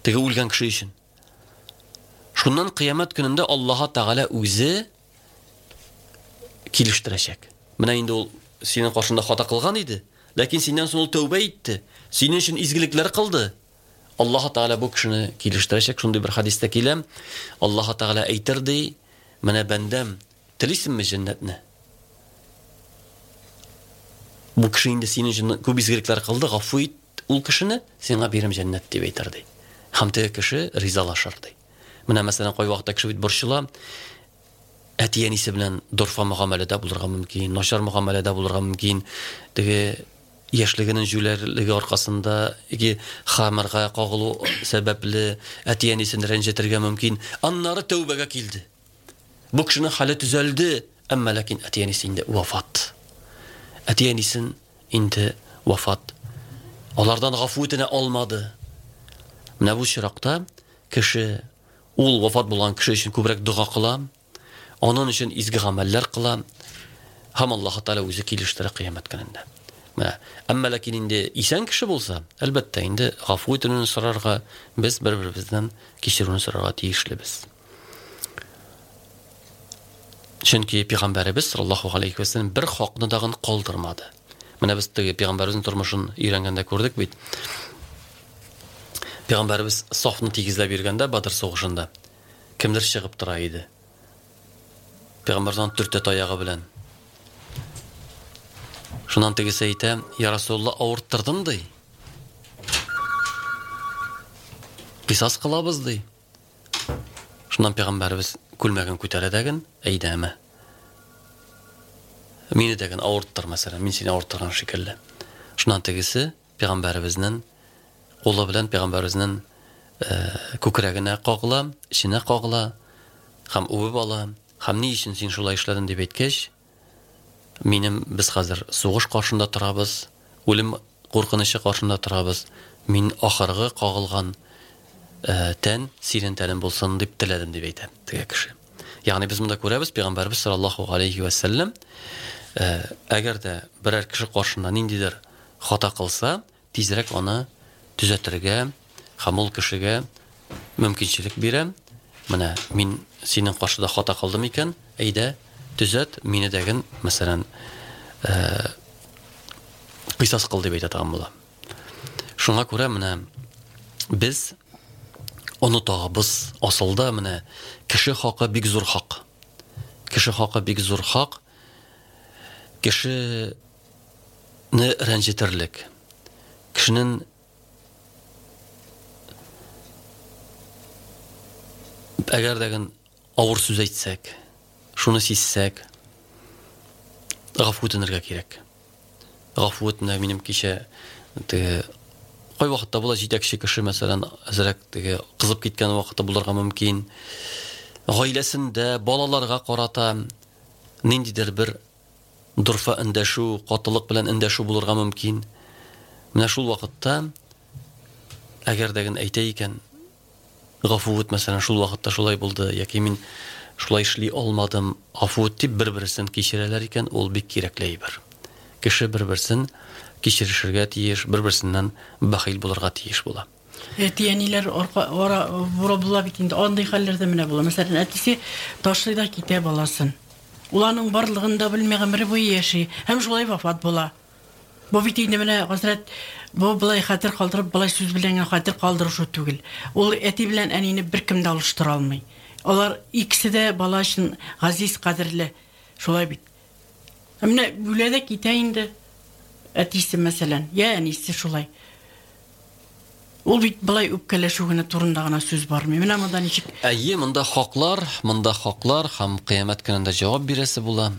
Теге үлгән кеше өчен. Шуннан кыямәт көнендә Аллаһ Тәгалә үзе килештерәчәк. Менә инде ул синең каршында хата кылган иде, ләкин синнән соң ул тәүбә итте. Синең өчен изгелекләр кылды. Аллаһ Тәгалә бу кешене килештерәчәк. Шундый бер хадистә килә. Аллаһ Тәгалә әйтер ди, менә бәндәм, телисеңме җәннәтне? Бу кеше инде синең өчен күп изгелекләр кылды, гафу ит ул кешене, сиңа бирем җәннәт дип әйтер ди. Һәм теге кеше ризалашыр ди. Менә мәсәлән, кайвакытта кеше бит борчыла, әти-әнисе белән дорфа мөгамәләдә булырга мөмкин, начар мөгамәләдә булырга мөмкин. Теге яшьлегенең җүләрлеге аркасында яки хамырга кагылу сәбәпле әти-әнисен рәнҗетергә мөмкин. Аннары тәүбәгә килде. Бу кешенең хәле төзәлде, әмма ләкин әти-әнисе инде вафат. Әти-әнисен инде вафат. Алардан гафу итенә алмады. Менә бу чиракта кеше, ул вафат булган кеше өчен күбрәк дога кыла, аның өчен изге гамәлләр кыла, һәм Аллаһ Тәгалә үзе килештерә кыямәт көнендә. Менә, әмма ләкин инде исән кеше булса, әлбәттә инде гафу итүне сорарга, без бер-беребездән кичерүне сорарга тиешлебез. Чөнки Пәйгамбәребез саллаллаһу алейхи ва сәлләм бер хакны дагын калдырмады. Менә без теге Пәйгамбәребезнең тормышын өйрәнгәндә күрдек бит. Пәйгамбәребез сафны тигезләп йөргәндә Бадр сугышында кемдер чыгып тора иде. Пәйгамбәрдән төртә таягы белән. Шуннан тегесе әйтә, «Я Расулулла, авырттырдым» ди. Кисас кылабыз ди. Шуннан Пәйгамбәребез күлмәген күтәрә дәген, әйдәме? Мине дәген авырттыр, мәсәлән, мин сине авырттырган шикелле. Шуннан тегесе Пәйгамбәребезнең кулы белән Пәйгамбәребезнең күкрәгенә кагыла, эченә кагыла һәм үбеп ала. Һәм ни өчен син шулай эшләдең дип әйткәч, минем без хәзер сугыш каршында торабыз, үлем куркынычы каршында торабыз. Мин ахыргы кагылган тән синең тәнең булсын дип теләдем дип әйтә теге кеше. Ягъни без монда күрәбез, Пәйгамбәребез саллаллаһу алейхи ва сәлләм, әгәр дә берәр кеше каршында ниндидер хата кылса, тизрәк аны төзәтергә һәм ул кешегә мөмкинчелек бирә. Менә мин синең каршыда хата кылдым икән, әйдә, төзәт, мине дәген, мәсәлән, кыйсас кыл дип әйтә торган була. Шуңа күрә менә без онытабыз. Асылда менә кеше хакы бик зур хак. Кеше хакы бик зур хак. Кешене рәнҗетерлек. Кешенең әгәр дәген авыр сүз әйтсәк, шуны сизсәк, гафу үтенергә кирәк. Гафу үтенә минем кичә теге кай вакытта була җитәкче кеше, мәсәлән, әзрәк теге кызып киткән вакытта булырга мөмкин. Гаиләсендә балаларга карата ниндидер бер дорфа эндәшү, катылык белән эндәшү булырга мөмкин. Менә шул вакытта әгәр дәген әйтә икән, гафу ит, мәсәлән, шул вакытта шулай булды, яки мин шулай эшли алмадым, гафу ит дип бер-берсен кичерәләр икән, ул бик кирәкле әйбер. Кеше бер-берсен кичерешергә тиеш, бер-берсеннән бәхил булырга тиеш була. Әти-әниләр арка ара бура була бит инде, андый хәлләрдә менә була. Мәсәлән, әтисе ташлый да китә баласын. Ул аның барлыгын да белми, гомере буе яши һәм шулай вафат була. Бу бит инде менә хәзрәт, бу былай хәтер калдырып, былай сүз белән генә хәтер калдырышу түгел. Ул әти белән әнине беркем дә алыштыра алмый. Алар икесе дә бала өчен газиз, кадерле. Шулай бит. Ә менә үлә дә китә инде әтисе, мәсәлән, я әнисе шулай. Ул бит былай үпкәләшү генә турында гына сүз бармый. Менә монда ничек? Әйе, монда хаклар, монда хаклар һәм кыямәт көнендә җавап бирәсе була.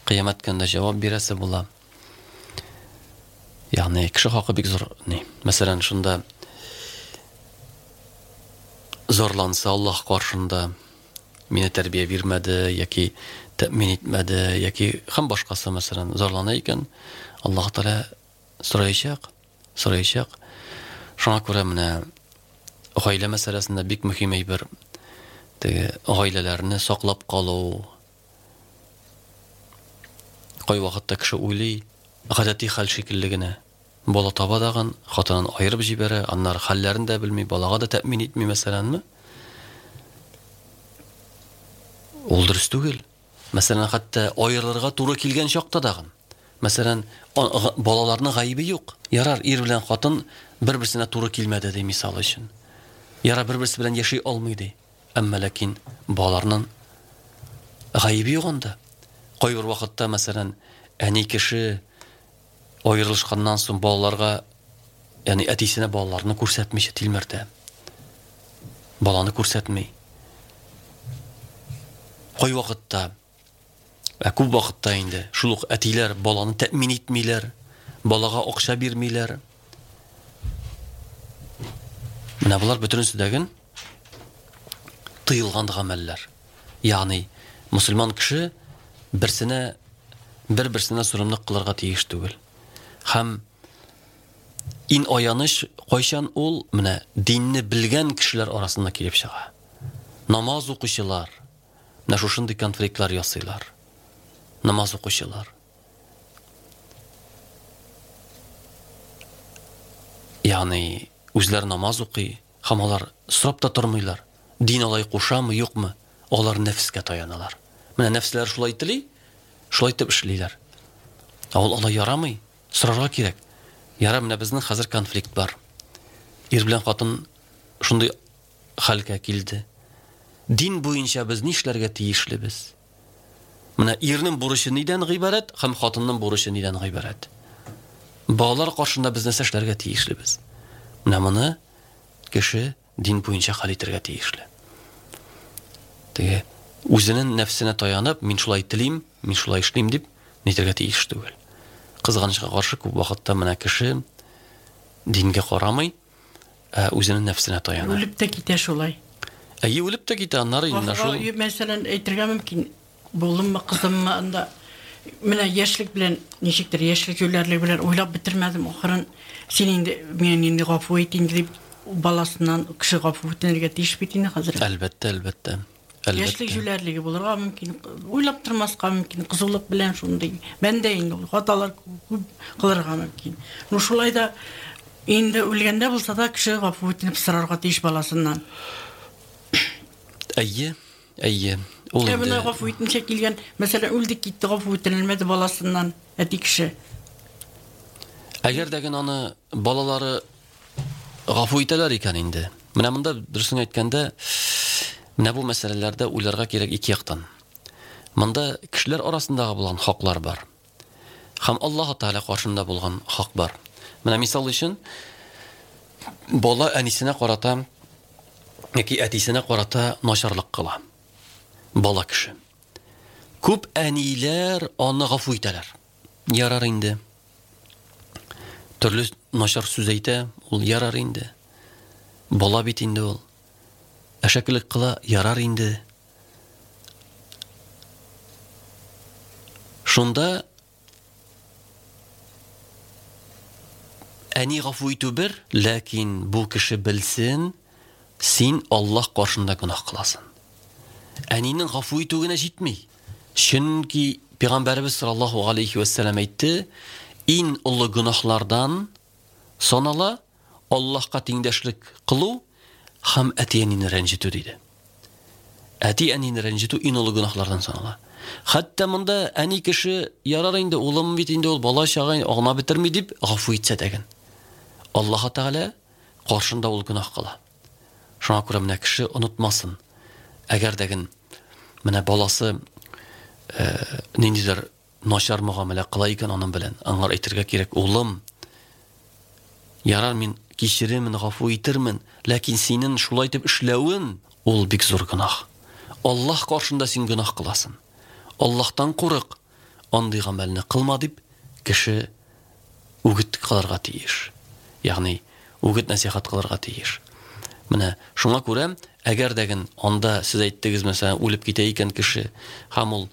Кыямәт көнендә җавап бирәсе була. Ягъни кеше хакы бик зур ни. Мәсәлән, шунда зарланса Аллаһ каршында, мине тәрбия бирмәде яки тәэмин итмәде яки һәм башкасы, мәсәлән, зарлана икән, Аллаһ Тәгалә сораячак, сораячак. Шуңа күрә менә гаилә мәсьәләсендә бик мөһим әйбер теге гаиләләрне саклап калу. Кай вакытта кеше уйлый, гадәти хәл шикелле генә. Бала таба дагын, хатынын аерып җибәрә, аннары хәлләрен дә белми, балага да тәэмин итми, мәсәләнме? Ул дөрес түгел. Мәсәлән, хәтта аерылырга туры килгән чакта дагын. Мәсәлән, балаларның гаебе юк. Ярар, ир белән хатын бер-берсенә туры килмәде ди, мисал өчен. Ярар, бер-берсе белән яши алмый ди. Әмма ләкин балаларның гаебе юк анда. Кайбер вакытта, мәсәлән, әни кеше аерылышканнан соң балаларга, ягъни әтисенә балаларны күрсәтмичә тилмертә. Баланы күрсәтми. Кай вакытта, ә күп вакытта инде шул ук әтиләр баланы тәэмин итмиләр, балага акча бирмиләр. Менә болар бөтенесе дәген тыелган гамәлләр. Ягъни мусульман кеше берсенә бер-берсенә золымлык кылырга тиеш түгел. Һәм ин аяныч кайчан ул менә динне белгән кешеләр арасында килеп чыга. Намаз укучылар менә шушындый конфликтлар ясыйлар. Намаз укучылар. Ягъни үзләре намаз укый, һәм алар сорап та тормыйлар. Дин алай кушамы, юкмы? Алар нәфескә таяналар. Менә нәфсләр шулай тели, шулай итеп эшлиләр. Ә ул алай ярамый, сорарга кирәк. Яра, менә безнең хәзер конфликт бар. Ир белән хатын шундый хәлгә килде. Дин буенча без нишләргә тиешлебез? Менә ирнең бурычы нидән гыйбарәт һәм хатынның бурычы нидән гыйбарәт? Балалар каршында без нәрсә эшләргә тиешлебез? Менә моны кеше дин буенча хәл итәргә тиешле. Теге үзенең нәфсенә таянып, мин шулай телим, мин шулай эшлим дип нитәргә тиеш түгел. Кызганычка каршы күп вакытта менә кеше дингә карамый, ә үзенең нәфсенә таяна. Үлеп тә китә шулай. Әйе, үлеп тә китә, аннары инде шул. Мәсәлән, әйтергә мөмкин, булыммы, кызыммы, анда менә яшьлек белән ничектер, яшьлек юләрлек белән уйлап бетермәдем, ахырын син инде мине инде гафу ит инде дип баласыннан кеше гафу үтенергә тиеш бит инде хәзер. Әлбәттә, әлбәттә. Яшьлек җүләрлеге булырга мөмкин, уйлап тормаска мөмкин, кызулык белән шундый. Бәндә инде ул хаталар күп кылырга мөмкин. Ну шулай да инде үлгәндә булса да кеше гафу үтенеп сорарга тиеш баласыннан. Әйе, әйе. Ул инде менә гафу итмичә килгән, мәсәлән, үлде китте, гафу үтенелмәде баласыннан, әти кеше. Әгәр дә генә аны балалары гафу итәләр икән инде. Менә монда дөресен әйткәндә, менә бу мәсьәләләрдә уйларга кирәк ике яктан. Монда кешеләр арасындагы булган хаклар бар. Һәм Аллаһ Тәгалә каршында булган хак бар. Менә мисал өчен бала әнисенә карата яки әтисенә карата начарлык кыла. Бала кеше. Күп әниләр аны гафу итәләр. Ярар инде. Төрле начар сүз әйтә, ул ярар инде. Бала бит инде ул. Әшәкелек кыла, ярар инде. Шунда әни гафу итү бер, ләкин бу кеше белсен, син Аллаһ каршында гөнаһ кыласың. Әнинең гафу итү генә җитми. Чөнки Пәйгамбәребез саллаллаһу алейхи ва сәлләм әйтте, иң олы гөнаһлардан санала Аллаһка тиңдәшлек кылу һәм әти-әнине рәнҗетү диде. Әти-әнине рәнҗетү иң олы гөнаһлардан санала. Хәтта монда әни кеше ярар инде, улым бит инде ул бала чага аңлап бетерми дип гафу итсә дәген. Аллаһ Тәгалә каршында ул гөнаһ кыла. Шуңа күрә менә кеше онытмасын. Әгәр дәген менә баласы э, ниндидер начар мөгамәлә кыла икән аның белән, аңар әйтергә кирәк, улым, ярар мин кичеремен, гафу итермен, ләкин синең шулай итеп эшләвен ул бик зур гөнаһ. Аллаһ каршында син гөнаһ кыласың. Аллаһтан курык, андый гамәлне кылма дип кеше үгет кылырга тиеш. Ягъни үгет нәсихәт кылырга тиеш. Менә шуңа күрә, әгәр дәген анда сез әйттегез, мәсәлән, үлеп китә икән кеше һәм ул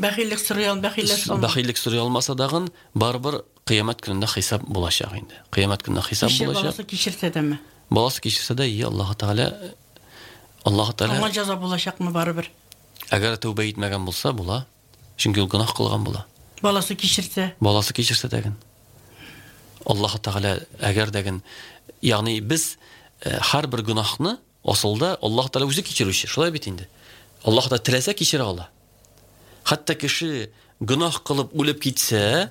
бәхиллек сорый ал, бәхилләшә алмаса, бәхиллек сорый алмаса дагын, барыбер кыямәт көнендә хисап булачак инде. Кыямәт көнендә хисап булачак. Баласы кичерсә дәме? Баласы кичерсә дә, и Аллаһ Тәгалә, Аллаһ Тәгалә аңа җәза булачакмы барыбер? Әгәр тәүбә итмәгән булса, була. Чөнки ул гөнаһ кылган була. Баласы кичерсә? Баласы кичерсә дәген. Аллаһ Тәгалә әгәр дәген, ягъни без һәрбер гөнаһны асылда Аллаһ Тәгалә үзе кичерүче. Шулай бит инде. Аллаһ та теләсә кичерә ала. Хәтта кеше гөнаһ кылып үлеп китсә,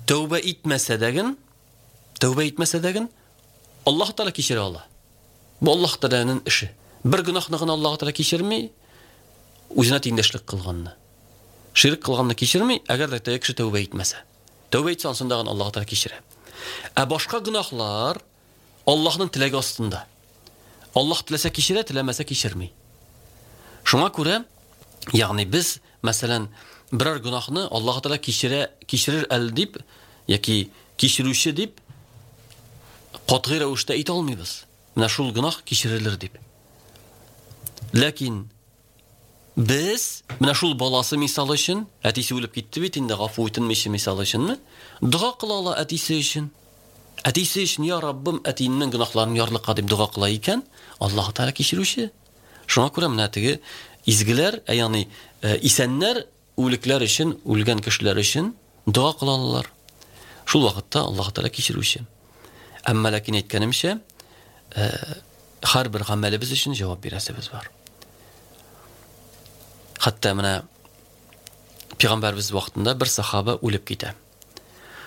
тәүбә итмәсә дәген, тәүбә итмәсә дәген, Аллаһ Тәгалә кичерә ала. Бу Аллаһ Тәгаләнең эше. Бер гөнаһны гына Аллаһ Тәгалә кичерми, үзенә тиңдәшлек кылганны. Ширк кылганны кичерми, әгәр дә кеше тәүбә итмәсә. Тәүбә итсә, ансында гына Аллаһ Тәгалә кичерә. Ә башка гөнаһлар Аллаһның теләге астында. Аллаһ теләсә кичерә, теләмәсә кичерми. Шуңа күрә, ягъни без, мәсәлән, берәр гөнаһны Аллаһ Тәгалә кичерә, кичерер әле дип яки кичерүче дип катгый рәвештә әйтә алмыйбыз. Менә шул гөнаһ кичерелер дип. Ләкин без менә шул баласы мисал өчен, әтисе үлеп китте бит инде, гафу итенмичә мисал өченме? Дога кыла ала әтисе өчен. Әтисе өчен, я Раббым, әтиемнең гөнаһларын ярлыка дип дога кыла икән, Аллаһ Тәгалә кичерүче. Шуңа күрә менә теге изгеләр, ягъни исәннәр үлекләр өчен, үлгән кешеләр өчен дога кыла алалар. Шул вакытта Аллаһ Тәгалә кичерүче. Әмма ләкин әйткәнемчә, һәрбер гамәлебез өчен җавап бирәсебез бар. Хәтта менә Пәйгамбәребез вакытында бер сахаба үлеп китә.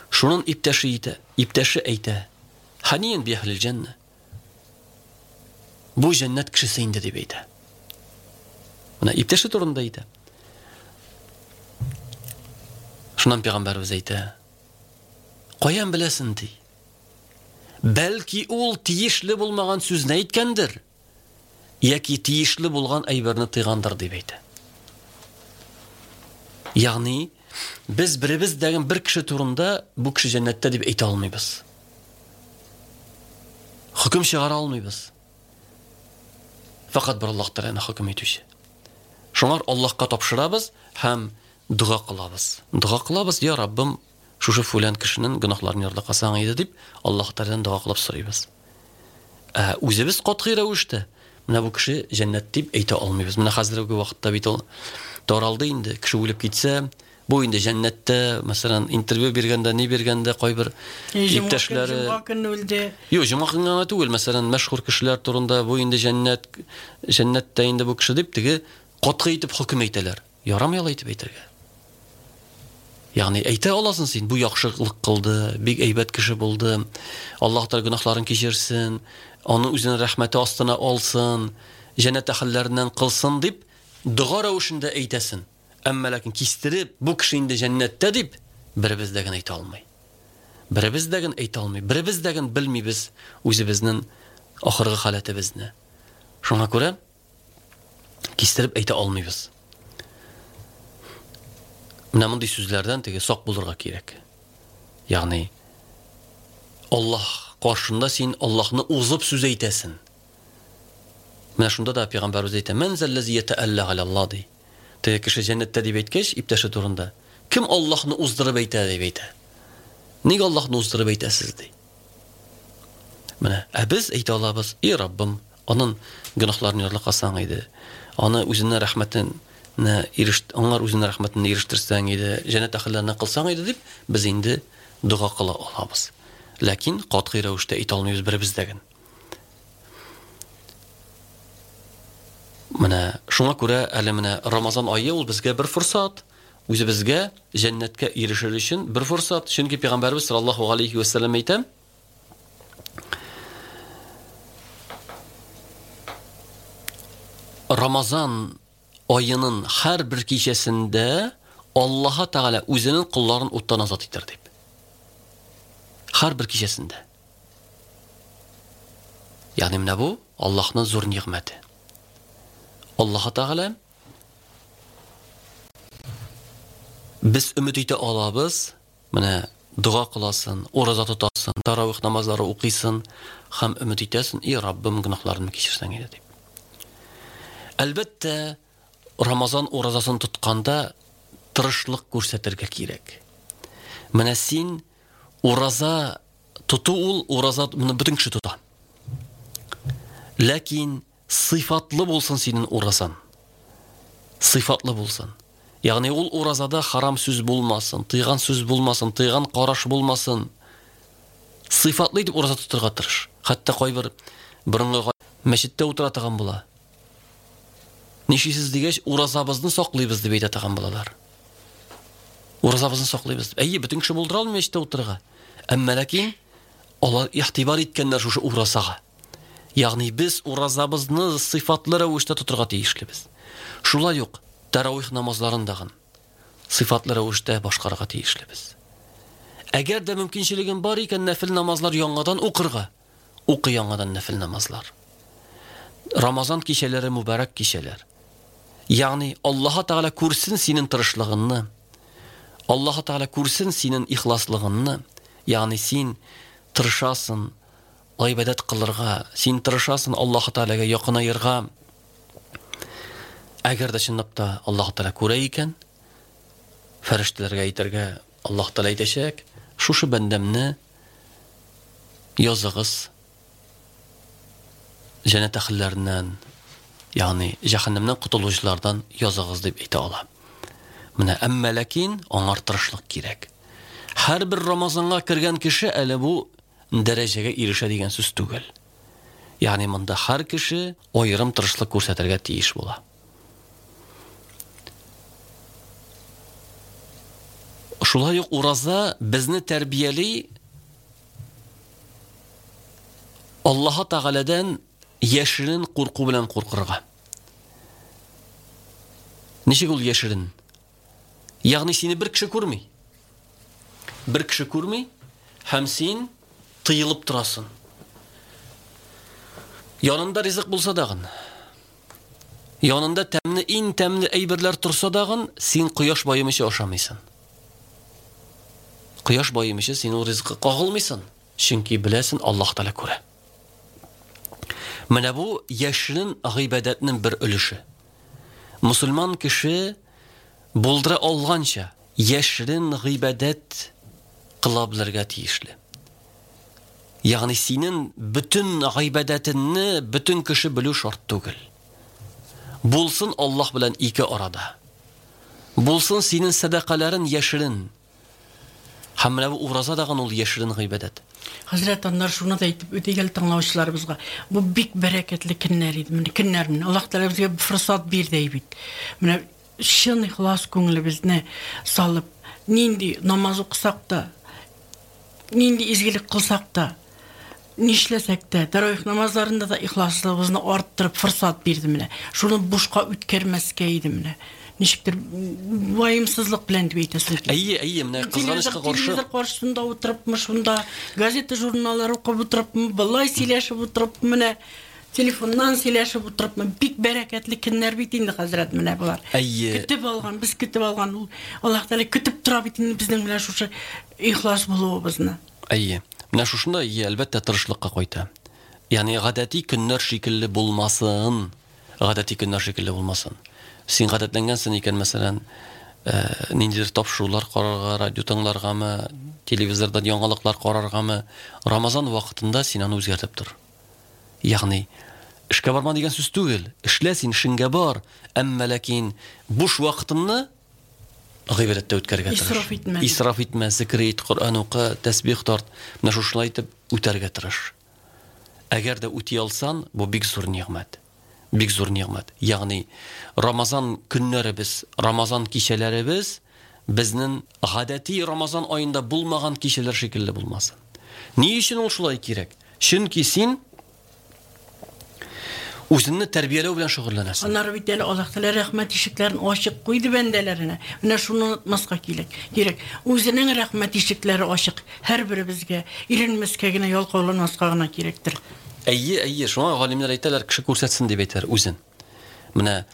Шунын иптәше әйтә, иптәше әйтә: "Ханиен би әһлил җәннә." Бу җәннәт кешесе инде дип әйтә. Менә иптәше турында әйтә. Шуннан Пәйгамбәребез әйтә: "Каян беләсең?" ди. Бәлки ул тиешле булмаган сүзне әйткәндер, яки тиешле булган әйберне тыйгандыр дип әйтә. Ягъни без беребез дәген бер кеше турында бу кеше җәннәттә дип әйтә алмыйбыз. Хөкем чыгара алмыйбыз. Фақат бер Аллаһ Тәгаләне хөкем итүче. Шуңар Аллаһка тапшырабыз һәм дога кылабыз. Дога кылабыз, я Раббым, шушы фүлән кешенең гөнаһларын ярлыкасаң иде дип Аллаһ Тәгаләдән дога кылып сорыйбыз. Ә үзебез катгый рәвештә Менә бу кеше җәннәт дип әйтә алмыйбыз. Менә хәзерге вакытта бит ул таралды инде. Кеше үлеп китсә, бу инде җәннәттә, мәсәлән, интервью биргәндә, ни биргәндә кайбер иптәшләре җомга көнне үлде. Юк, җомга көнне генә түгел, мәсәлән, мәшһүр кешеләр турында бу инде җәннәт, җәннәттә инде бу кеше дип теге катгый итеп хөкем әйтәләр. Ярамый алай итеп әйтергә. Ягъни әйтә аласың син, бу яхшылык кылды, бик әйбәт кеше булды. Аллаһ Тәгалә гөнаһларын кичерсен, аны үзенең рәхмәте астына алсын, җәннәт әһелләреннән кылсын дип дога рәвешендә әйтәсен. Әмма ләкин кистереп, бу кеше инде җәннәттә дип беребез дә генә әйтә алмый. Беребез дә генә әйтә алмый. Беребез дә генә белмибез үзебезнең ахыргы халәтебезне. Шуңа күрә кистереп әйтә алмыйбыз. Менә мондый сүзләрдән теге сак булырга кирәк. Ягъни Аллаһ каршында син Аллаһны узып сүз әйтәсең. Менә шунда да пәйгамбәребез әйтә: "Ман заллази ятаалла галаллаһ" ди. Теге кеше җәннәттә дип әйткәч, иптәше турында, кем Аллаһны уздырып әйтә дип әйтә. Нигә Аллаһны уздырып әйтәсез ди. Менә, ә без әйтә алабыз: "И Раббым, аның гөнаһларын ярлыкасаң иде, аны үзенең рәхмәтен ирешт, аңар үзенең рәхмәтен ирештерсәң иде, җәннәт әһелләренә кылсаң иде" дип без инде дога кыла алабыз. Ләкин катгый рәвештә әйтә алмыйбыз беребез дә генә. Менә шуңа күрә әле менә Рамазан ае ул безгә бер форсат, үзебезгә җәннәткә ирешер өчен бер форсат. Чөнки пәйгамбәребез саллаллаһу алейхи ва саллям әйтә: Рамазан айының һәр бер кичәсендә Аллаһ Тәгалә үзенең колларын уттан азат итер дип. Һәр бер кичәсендә. Ягъни менә бу Аллаһның зур нигъмәте. Аллаһ Тәгалә без өмет итә алабыз, менә дога кыласың, ураза тотасың, таравих намазлары укыйсың һәм өмет итәсең, и Раббым, гөнаһларымны кичерсәң иде дип. Әлбәттә, Рамазан уразасын тотканда тырышлык күрсәтергә кирәк. Менә син ураза тоту ул ураза моны бөтен кеше тота. Ләкин сыйфатлы булсын синең уразан. Сыйфатлы булсын. Ягъни ул уразада харам сүз булмасын, тыйган сүз булмасын, тыйган караш булмасын. Сыйфатлы итеп ураза тотырга тырыш. Хәтта кайбер борынгы мәчеттә утыра торган була. Нишисез дигәч, уразабызны саклыйбыз дип әйтә торган булалар. Уразабызны саклыйбыз. Әйе, бөтен кеше булдыра алмый мәчеттә утырырга. Әмма ләкин алар игътибар иткәннәр шушы уразага. Ягъни без уразабызны сыйфатлы рәвештә тотырга тиешлебез. Шулай ук таравих намазларын дагын сыйфатлы рәвештә башкарырга тиешлебез. Әгәр дә мөмкинчелегең бар икән, нәфил намазлар яңадан укырга, укы яңадан нәфил намазлар. Рамазан кичәләре мөбарәк кичәләр. Ягъни Аллаһ Тәгалә күрсен синең тырышлыгыңны. Аллаһ Тәгалә күрсен синең ихласлыгыңны. Ягъни син тырышасың гыйбадәт кылырга, син тырышасың Аллаһ Тәгаләгә якынаерга. Әгәр дә чынлап та Аллаһ Тәгалә күрә икән, фәрештәләргә әйтергә Аллаһ Тәгалә әйтәчәк: "Шушы бәндәмне языгыз җәннәт әһелләреннән, ягъни җәһәннәмнән котылучылардан языгыз" дип әйтә ала. Менә әмма ләкин аңар тырышлык кирәк. Һәрбер Рамазанга кергән кеше әле бу дәрәҗәгә ирешә дигән сүз түгел. Ягъни монда һәр кеше аерым тырышлык күрсәтергә тиеш була. Шулай ук ураза безне тәрбияли Аллаһ Тәгаләдән яшерен курку белән куркырга. Ничек ул яшерен? Ягъни сине бер кеше күрми. Бер кеше күрми һәм син тыелып торасың. Янында ризык булса дагын, янында тәмле, иң тәмле әйберләр торса дагын, син кояш баемыйча ашамыйсың. Кояш баемыйча син ул ризыкка кагылмыйсың, чөнки беләсең Аллаһ Тәгалә күрә. Менә бу яшерен гыйбадәтнең бер өлеше. Мусульман кеше булдыра алганча яшерен гыйбадәт кыла белергә тиешле. Ягъни синең бөтен гыйбадәтеңне бөтен кеше белү шарт түгел. Булсын Аллаһ белән ике арада. Булсын синең сәдакаларын яшерен. Һәм менә бу ураза дагын ул яшерен гыйбадәт. Хәзрәт, аннар шуны да әйтеп үтик әле тыңлаучыларыбызга. Бу бик бәрәкәтле көннәр иде. Менә көннәр менә Аллаһ Тәгалә безгә форсат бирде бит. Менә чын ихлас күңелебезне салып, нинди намаз укысак та, нинди изгелек кылсак та, нишләсәк тә, тәравих намазларында да ихласлыгыбызны арттырып форсат бирде менә. Шуны бушка үткәрмәскә иде менә. Ничектер ваемсызлык белән дип әйтәсең. Әйе, әйе, менә кызганычка каршы телевизор каршысында утырыпмы, шунда газета, журналлар укып утырыпмы, былай сөйләшеп утырып, менә телефоннан сөйләшеп утырыпмы, бик бәрәкәтле көннәр бит инде, хәзрәт, менә болар. Әйе. Көтеп алган, без көтеп алган, ул Аллаһ Тәгалә көтеп тора бит инде безнең белән шушы ихлас булуыбызны. Әйе. Менә шушында, әйе, әлбәттә, тырышлыкка кайта. Ягъни гадәти көннәр шикелле булмасын. Гадәти көннәр шикелле булмасын. Син гадәтләнгәнсең икән, мәсәлән, ниндидер тапшырулар карарга, радио тыңларгамы, телевизордан яңалыклар караргамы, Рамазан вакытында син аны үзгәртеп тор. Ягъни эшкә барма дигән сүз түгел. Эшлә син, эшеңгә бар, әмма ләкин буш вакытыңны гыйбадәттә үткәрергә тырыш. Исраф итмә. Исраф итмә, зикр ит, Коръән укы, тәсбих тарт. Менә шушылай итеп үтәргә тырыш. Әгәр дә үти алсаң, бу бик зур нигъмәт. Бик зур нигъмәт. Ягъни Рамазан көннәребез, Рамазан кичәләребез безнең гадәти Рамазан аенда булмаган кичәләр шикелле булмасын. Ни өчен ул шулай кирәк? Чөнки син үзеңне тәрбияләү белән шөгыльләнәсең. Аннары бит әле Аллаһ Тәгалә рәхмәт ишекләрен ачык куйды бәндәләренә. Менә шуны онытмаска кирәк. Кирәк. Үзенең рәхмәт ишекләре ачык һәрберебезгә. Иренмәскә генә, ялкауланмаска гына кирәктер. Әйе, әйе, шуңа галимнәр әйтәләр, кеше күрсәтсен дип әйтәләр үзен. Менә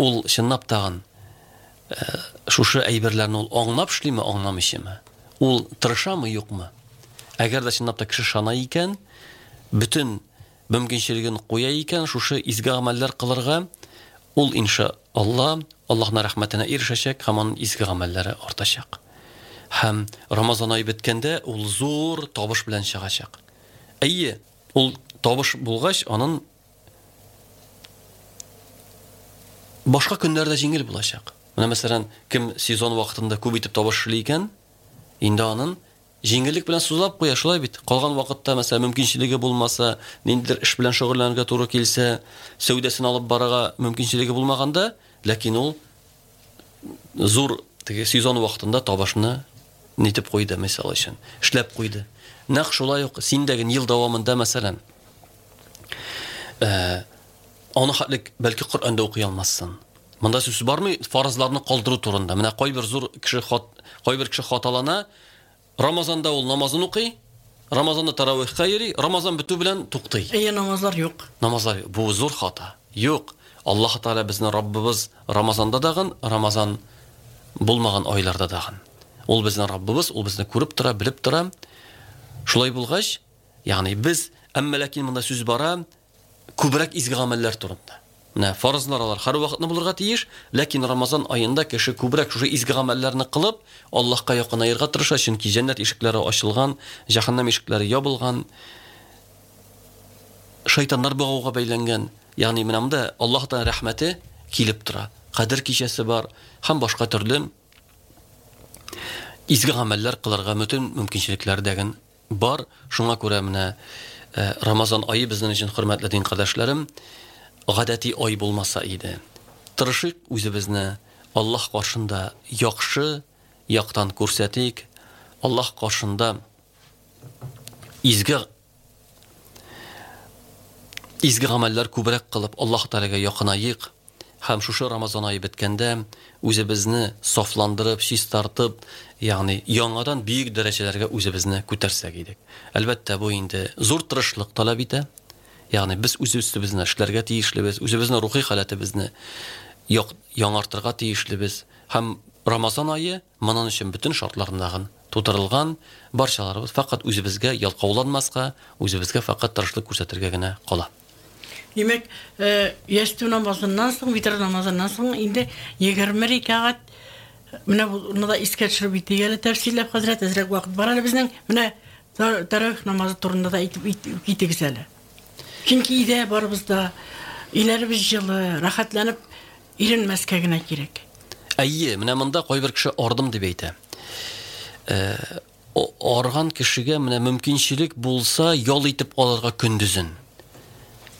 ул чынлап тагын шушы әйберләрне ул аңлап эшлиме, аңламыйчамы? Ул тырышамы, юкмы? Әгәр дә чынлап та кеше шана икән, бөтен мөмкинчелеген куя икән, шушы изге гамәлләр кылырга, ул иншалла Аллаһның рәхмәтенә ирешәчәк һәм аның изге гамәлләре артачак. Һәм Рамазан ае беткәндә ул зур табыш белән чыгачак. Әйе, ул табыш булгач, аның башка көннәрдә җиңел булачак. Менә мәсәлән, кем сезон вакытында күп итеп табыш эшли икән, инде аның җиңеллек белән сузлап куя, шулай бит. Калган вакытта, мәсәлән, мөмкинчелеге булмаса, ниндидер эш белән шөгыльләнергә туры килсә, сәүдәсен алып барырга мөмкинчелеге булмаганда, ләкин ул зур теге сезон вакытында табышны нитеп куйды, мисал өчен, эшләп куйды. Нәкъ шулай ук син дә ел дәвамында, мәсәлән, аны хәтлек бәлки Коръәндә укый алмассың. Монда сүз бармый фарызларны калдыру турында. Менә кайбер зур кеше хат, кайбер кеше хаталана, Рамазанда ул намазын укый, Рамазанда таравихка йөри, Рамазан бетү белән туктый. Әйе, намазлар юк. Намазлар юк. Бу зур хата. Юк. Аллаһ Тәгалә безне Раббыбыз Рамазанда дагын, Рамазан булмаган айларда дагын. Ул безнең Раббыбыз, ул безне күреп тора, белеп тора. Шулай булгач, ягъни без, әмма ләкин монда сүз бара күбрәк изге гамәлләр турында. Менә фарызлар алар һәр вакытны булырга тиеш, ләкин Рамазан аенда кеше күбрәк шушы изге гамәлләрне кылып, Аллаһка якынаерга тырыша, чөнки җәннәт ишекләре ачылган, җәһәннәм ишекләре ябылган, шайтаннар багуга бәйләнгән. Ягъни менә монда Аллаһтан рәхмәте килеп тора. Кадер кичәсе бар һәм башка төрле изге гамәлләр кылырга бөтен мөмкинчелекләр дәген бар. Шуңа күрә менә Рамазан ае безнең өчен, хөрмәтле дин кардәшләрем, гадәти ай булмаса иде. Тырышыйк үзебезне Аллаһ каршында яхшы яктан күрсәтик, Аллаһ каршында изге изге гамәлләр күбрәк кылып, Аллаһ Тәгаләгә якынаек һәм шушы Рамазан ае беткәндә үзебезне сафландырып, чистартып, ягъни яңадан бөек дәрәҗәләргә үзебезне күтәрсәк идек. Әлбәттә, бу инде зур тырышлык таләп итә. Ягъни без үз өстебезне эшләргә тиешлебез, үзебезнең рухи халәтебезне яңартырга тиешлебез. Һәм Рамазан ае моның өчен бөтен шартларындагы тутырылган, барчаларыбыз фақат үзебезгә ялкауланмаска, үзебезгә фақат тырышлык күрсәтергә генә кала. Демәк, ястү намазыннан соң, витр намазыннан соң инде егерме рәкәгать, менә буны да искә төшереп үтик әле тәфсилләп, хәзрәт, әзрәк вакыт бар әле безнең. Менә тәравих намазы турында да әйтеп китегез әле. Чөнки өйдә барыбыз да, өйләребез җылы, рәхәтләнеп иренмәскә генә кирәк. Әйе, менә монда кайбер кеше ардым дип әйтә. Арган кешегә менә мөмкинчелек булса ял итеп алырга көндезен.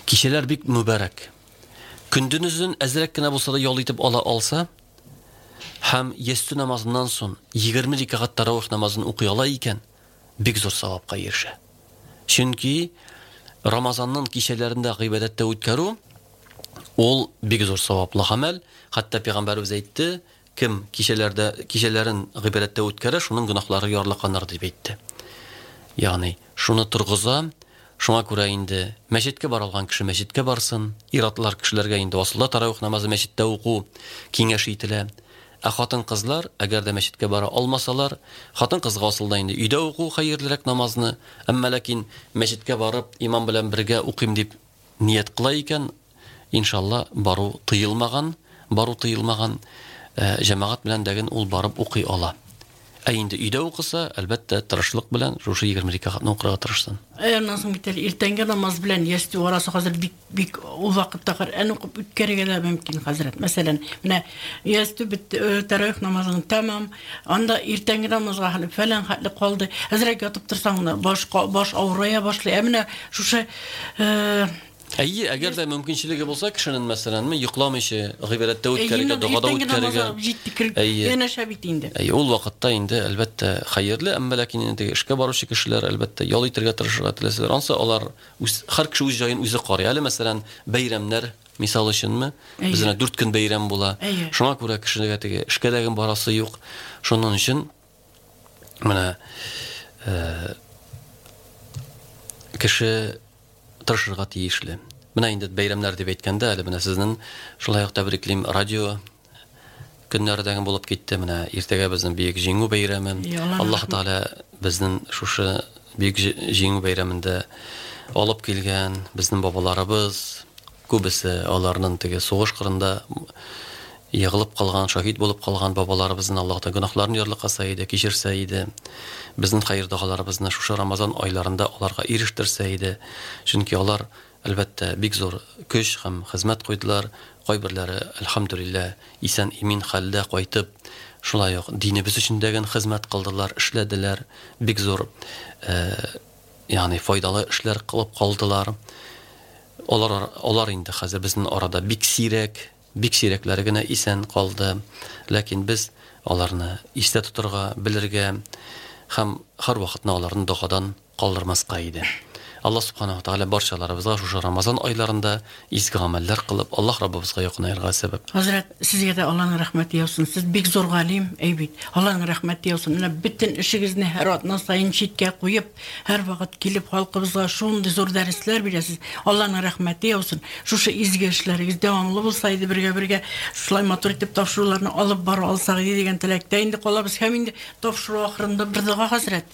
Кичәләр бик мөбарәк. Көндезен әзрәк кенә булса да ял итеп ала алса һәм ястү намазыннан соң егерме рәкәгать таравих намазын укый ала икән, бик зур савапка ирешә. Чөнки Рамазанның кичәләрендә гыйбадәттә үткәрү ул бик зур саваплы гамәл. Хәтта пәйгамбәребез әйтте, кем кичәләрдә кичәләрен гыйбадәттә үткәрә, шуның гөнаһлары ярлыканыр дип әйтте. Ягъни шуны торгыза, шуңа күрә инде мәчеткә бара алган кеше мәчеткә барсын, ир-атлар кешеләргә инде асылда таравих намазы мәчеттә уку киңәш ителә. Ә хатын-кызлар, әгәр дә мәчеткә бара алмасалар, хатын-кызга асылда инде өйдә уку хәерлерәк намазны, әмма ләкин мәчеткә барып имам белән бергә укыйм дип ният кыла икән, иншалла бару тыелмаган, бару тыелмаган, җәмәгать белән дәген ул барып укый ала. Ә инде өйдә укыса, әлбәттә, тырышлык белән шушы егерме рәкәгатьне укырга тырышсын. Ә аннан соң бит әле иртәнге намаз белән ястү арасы хәзер бик бик ул вакытта Коръән укып үткәрергә дә мөмкин хәзрәт. Мәсәлән, менә ястү бит тәравих намазын тәмам, анда иртәнге намазга хәле фәлән хәтле калды. Әзрәк ятып торсаң да баш баш авырая башлый. Ә менә шушы Әйе, әгәр дә мөмкинчелеге булса кешенең, мәсәлән, йокламыйча гыйбадәттә үткәрергә, догада үткәрергә, янәшә бит инде. Әйе, ул вакытта инде әлбәттә хәерле, әмма ләкин инде эшкә баручы кешеләр әлбәттә ял итәргә тырышырга теләсәләр, ансы алар үз һәр кеше үз җаен үзе карый. Әле мәсәлән, бәйрәмнәр мисал өченме? Бездә дүрт көн бәйрәм була. Шуңа күрә кешегә теге эшкә дә барасы юк. Шуның өчен менә кеше тырышырга тиешле. Менә инде бәйрәмнәр дип әйткәндә, әле менә сезнең шулай ук тәбриклим, радио көннәре дәген булып китте. Менә иртәгә безнең Бөек Җиңү бәйрәме. Аллаһ Тәгалә безнең шушы Бөек Җиңү бәйрәмендә алып килгән безнең бабаларыбыз, күбесе аларның теге сугыш кырында егылып калган, шаһит булып калган бабаларыбызның Аллаһ Тәгалә гөнаһларын ярлыкаса иде, кичерсә иде. Безнең хәер догаларыбызны шушы Рамазан айларында аларга ирештерсә иде. Чөнки алар әлбәттә бик зур көч һәм хезмәт куйдылар. Кайберләре әлхәмдүлилләһ исән имин хәлдә кайтып, шулай ук динебез өчен дәген хезмәт кылдылар, эшләделәр, бик зур, ягъни файдалы эшләр кылып калдылар. Алар алар инде хәзер безнең арада бик сирәк, бик сирәкләре генә исән калды. Ләкин без аларны истә тотырга, белергә һәм һәр вакытны аларны догадан калдырмаска иде. Аллаһ субханаһу ва тааля барчаларыбызга шушы Рамазан айларында изге гамәлләр кылып, Аллаһ Раббыбызга якынаерга сәбәп. Хәзрәт, сезгә дә Аллаһның рәхмәте яусын. Сез бик зур галим, әй бит. Аллаһның рәхмәте яусын. Менә бөтен эшегезне һәр атна саен читкә куеп, һәр вакыт килеп халкыбызга шундый зур дәресләр бирәсез. Аллаһның рәхмәте яусын. Шушы изге эшләрегез дәвамлы булса иде, бергә-бергә шулай матур итеп тапшыруларны алып бара алсак иде дигән теләктә инде калабыз. Һәм инде тапшыру ахырында бер дога, хәзрәт.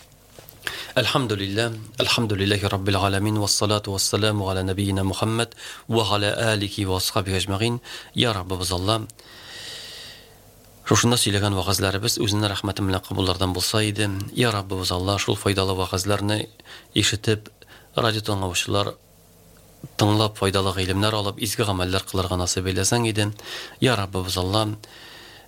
Elhamdülillah, elhamdülillahi Rabbil alemin ve salatu ve selamu ala nebiyyina Muhammed ve ala alihi ve ashabihi ecmaîn. Ya Rabbimiz Allah, шушында сөйләгән вәгазьләребез үзенең рәхмәте белән кабуллардан булса иде. Я Раббыбыз Алла, шул файдалы вәгазьләрне ишетеп, радио тыңлаучылар тыңлап файдалы гыйлемнәр алып, изге гамәлләр кылырга насыйп әйләсәң иде. Я Раббыбыз Алла,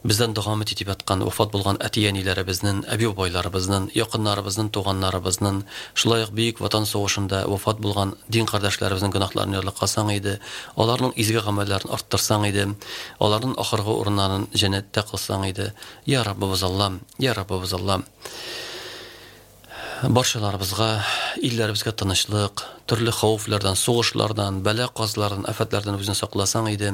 бездән дога итеп яткан, вафат булган әти-әниләребезнең, әби-бабайларыбызның, якыннарыбызның, туганнарыбызның, шулай ук Бөек Ватан сугышында вафат булган дин кардәшләребезнең гөнаһларын ярлыкасаң иде, аларның изге гамәлләрен арттырсаң иде, аларның ахыргы урыннарын җәннәттә кылсаң иде. Я Раббыбыз Алла, я Раббыбыз Алла, барчаларыбызга, илләребезгә тынычлык, төрле хәвефләрдән, сугышлардан, бәла-казалардан, афәтләрдән үзен сакласаң иде.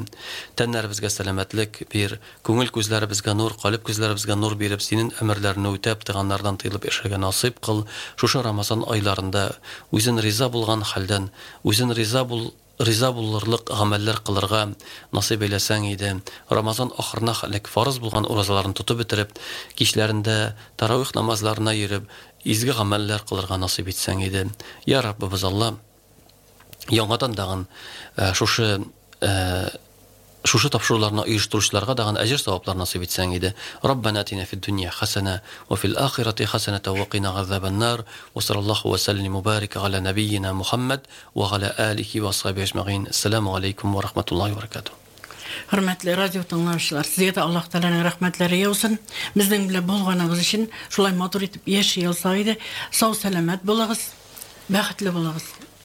Тәннәребезгә сәламәтлек бир, күңел күзләребезгә нур, калб күзләребезгә нур биреп, синең әмерләреңне үтәп, тыганнардан тыелып яшәргә насыйп кыл. Шушы Рамазан айларында үзен риза булган хәлдән, үзен риза бул риза булырлык гамәлләр кылырга насыйп әйләсәң иде. Рамазан ахырына хәлек фарыз булган уразаларын тотып бетереп, кичләрендә таравих намазларына йөреп, изге гамәлләр кылырга насыйп итсәң иде. Я Раббыбыз Алла, яңадан дагын шушы Шушы тапшыруларны оештыручыларга дагы әҗер саваплар насыйп итсәң иде. Раббана атина фид дөнья хасана ва фил ахирати хасаната ва кина азабан-нар. Ва саллаллаху ва саллим мубарак аля набийина Мухаммад ва аля алихи ва асхабихи ажмаин. Ассаламу алейкум ва рахматуллахи ва баракатух. Хөрмәтле радио тыңлаучылар, сезгә дә Аллаһ Тәгаләнең рәхмәтләре яусын. Безнең белән булганыгыз өчен шулай матур итеп яши алсак иде. Сау сәламәт булыгыз, бәхетле булыгыз.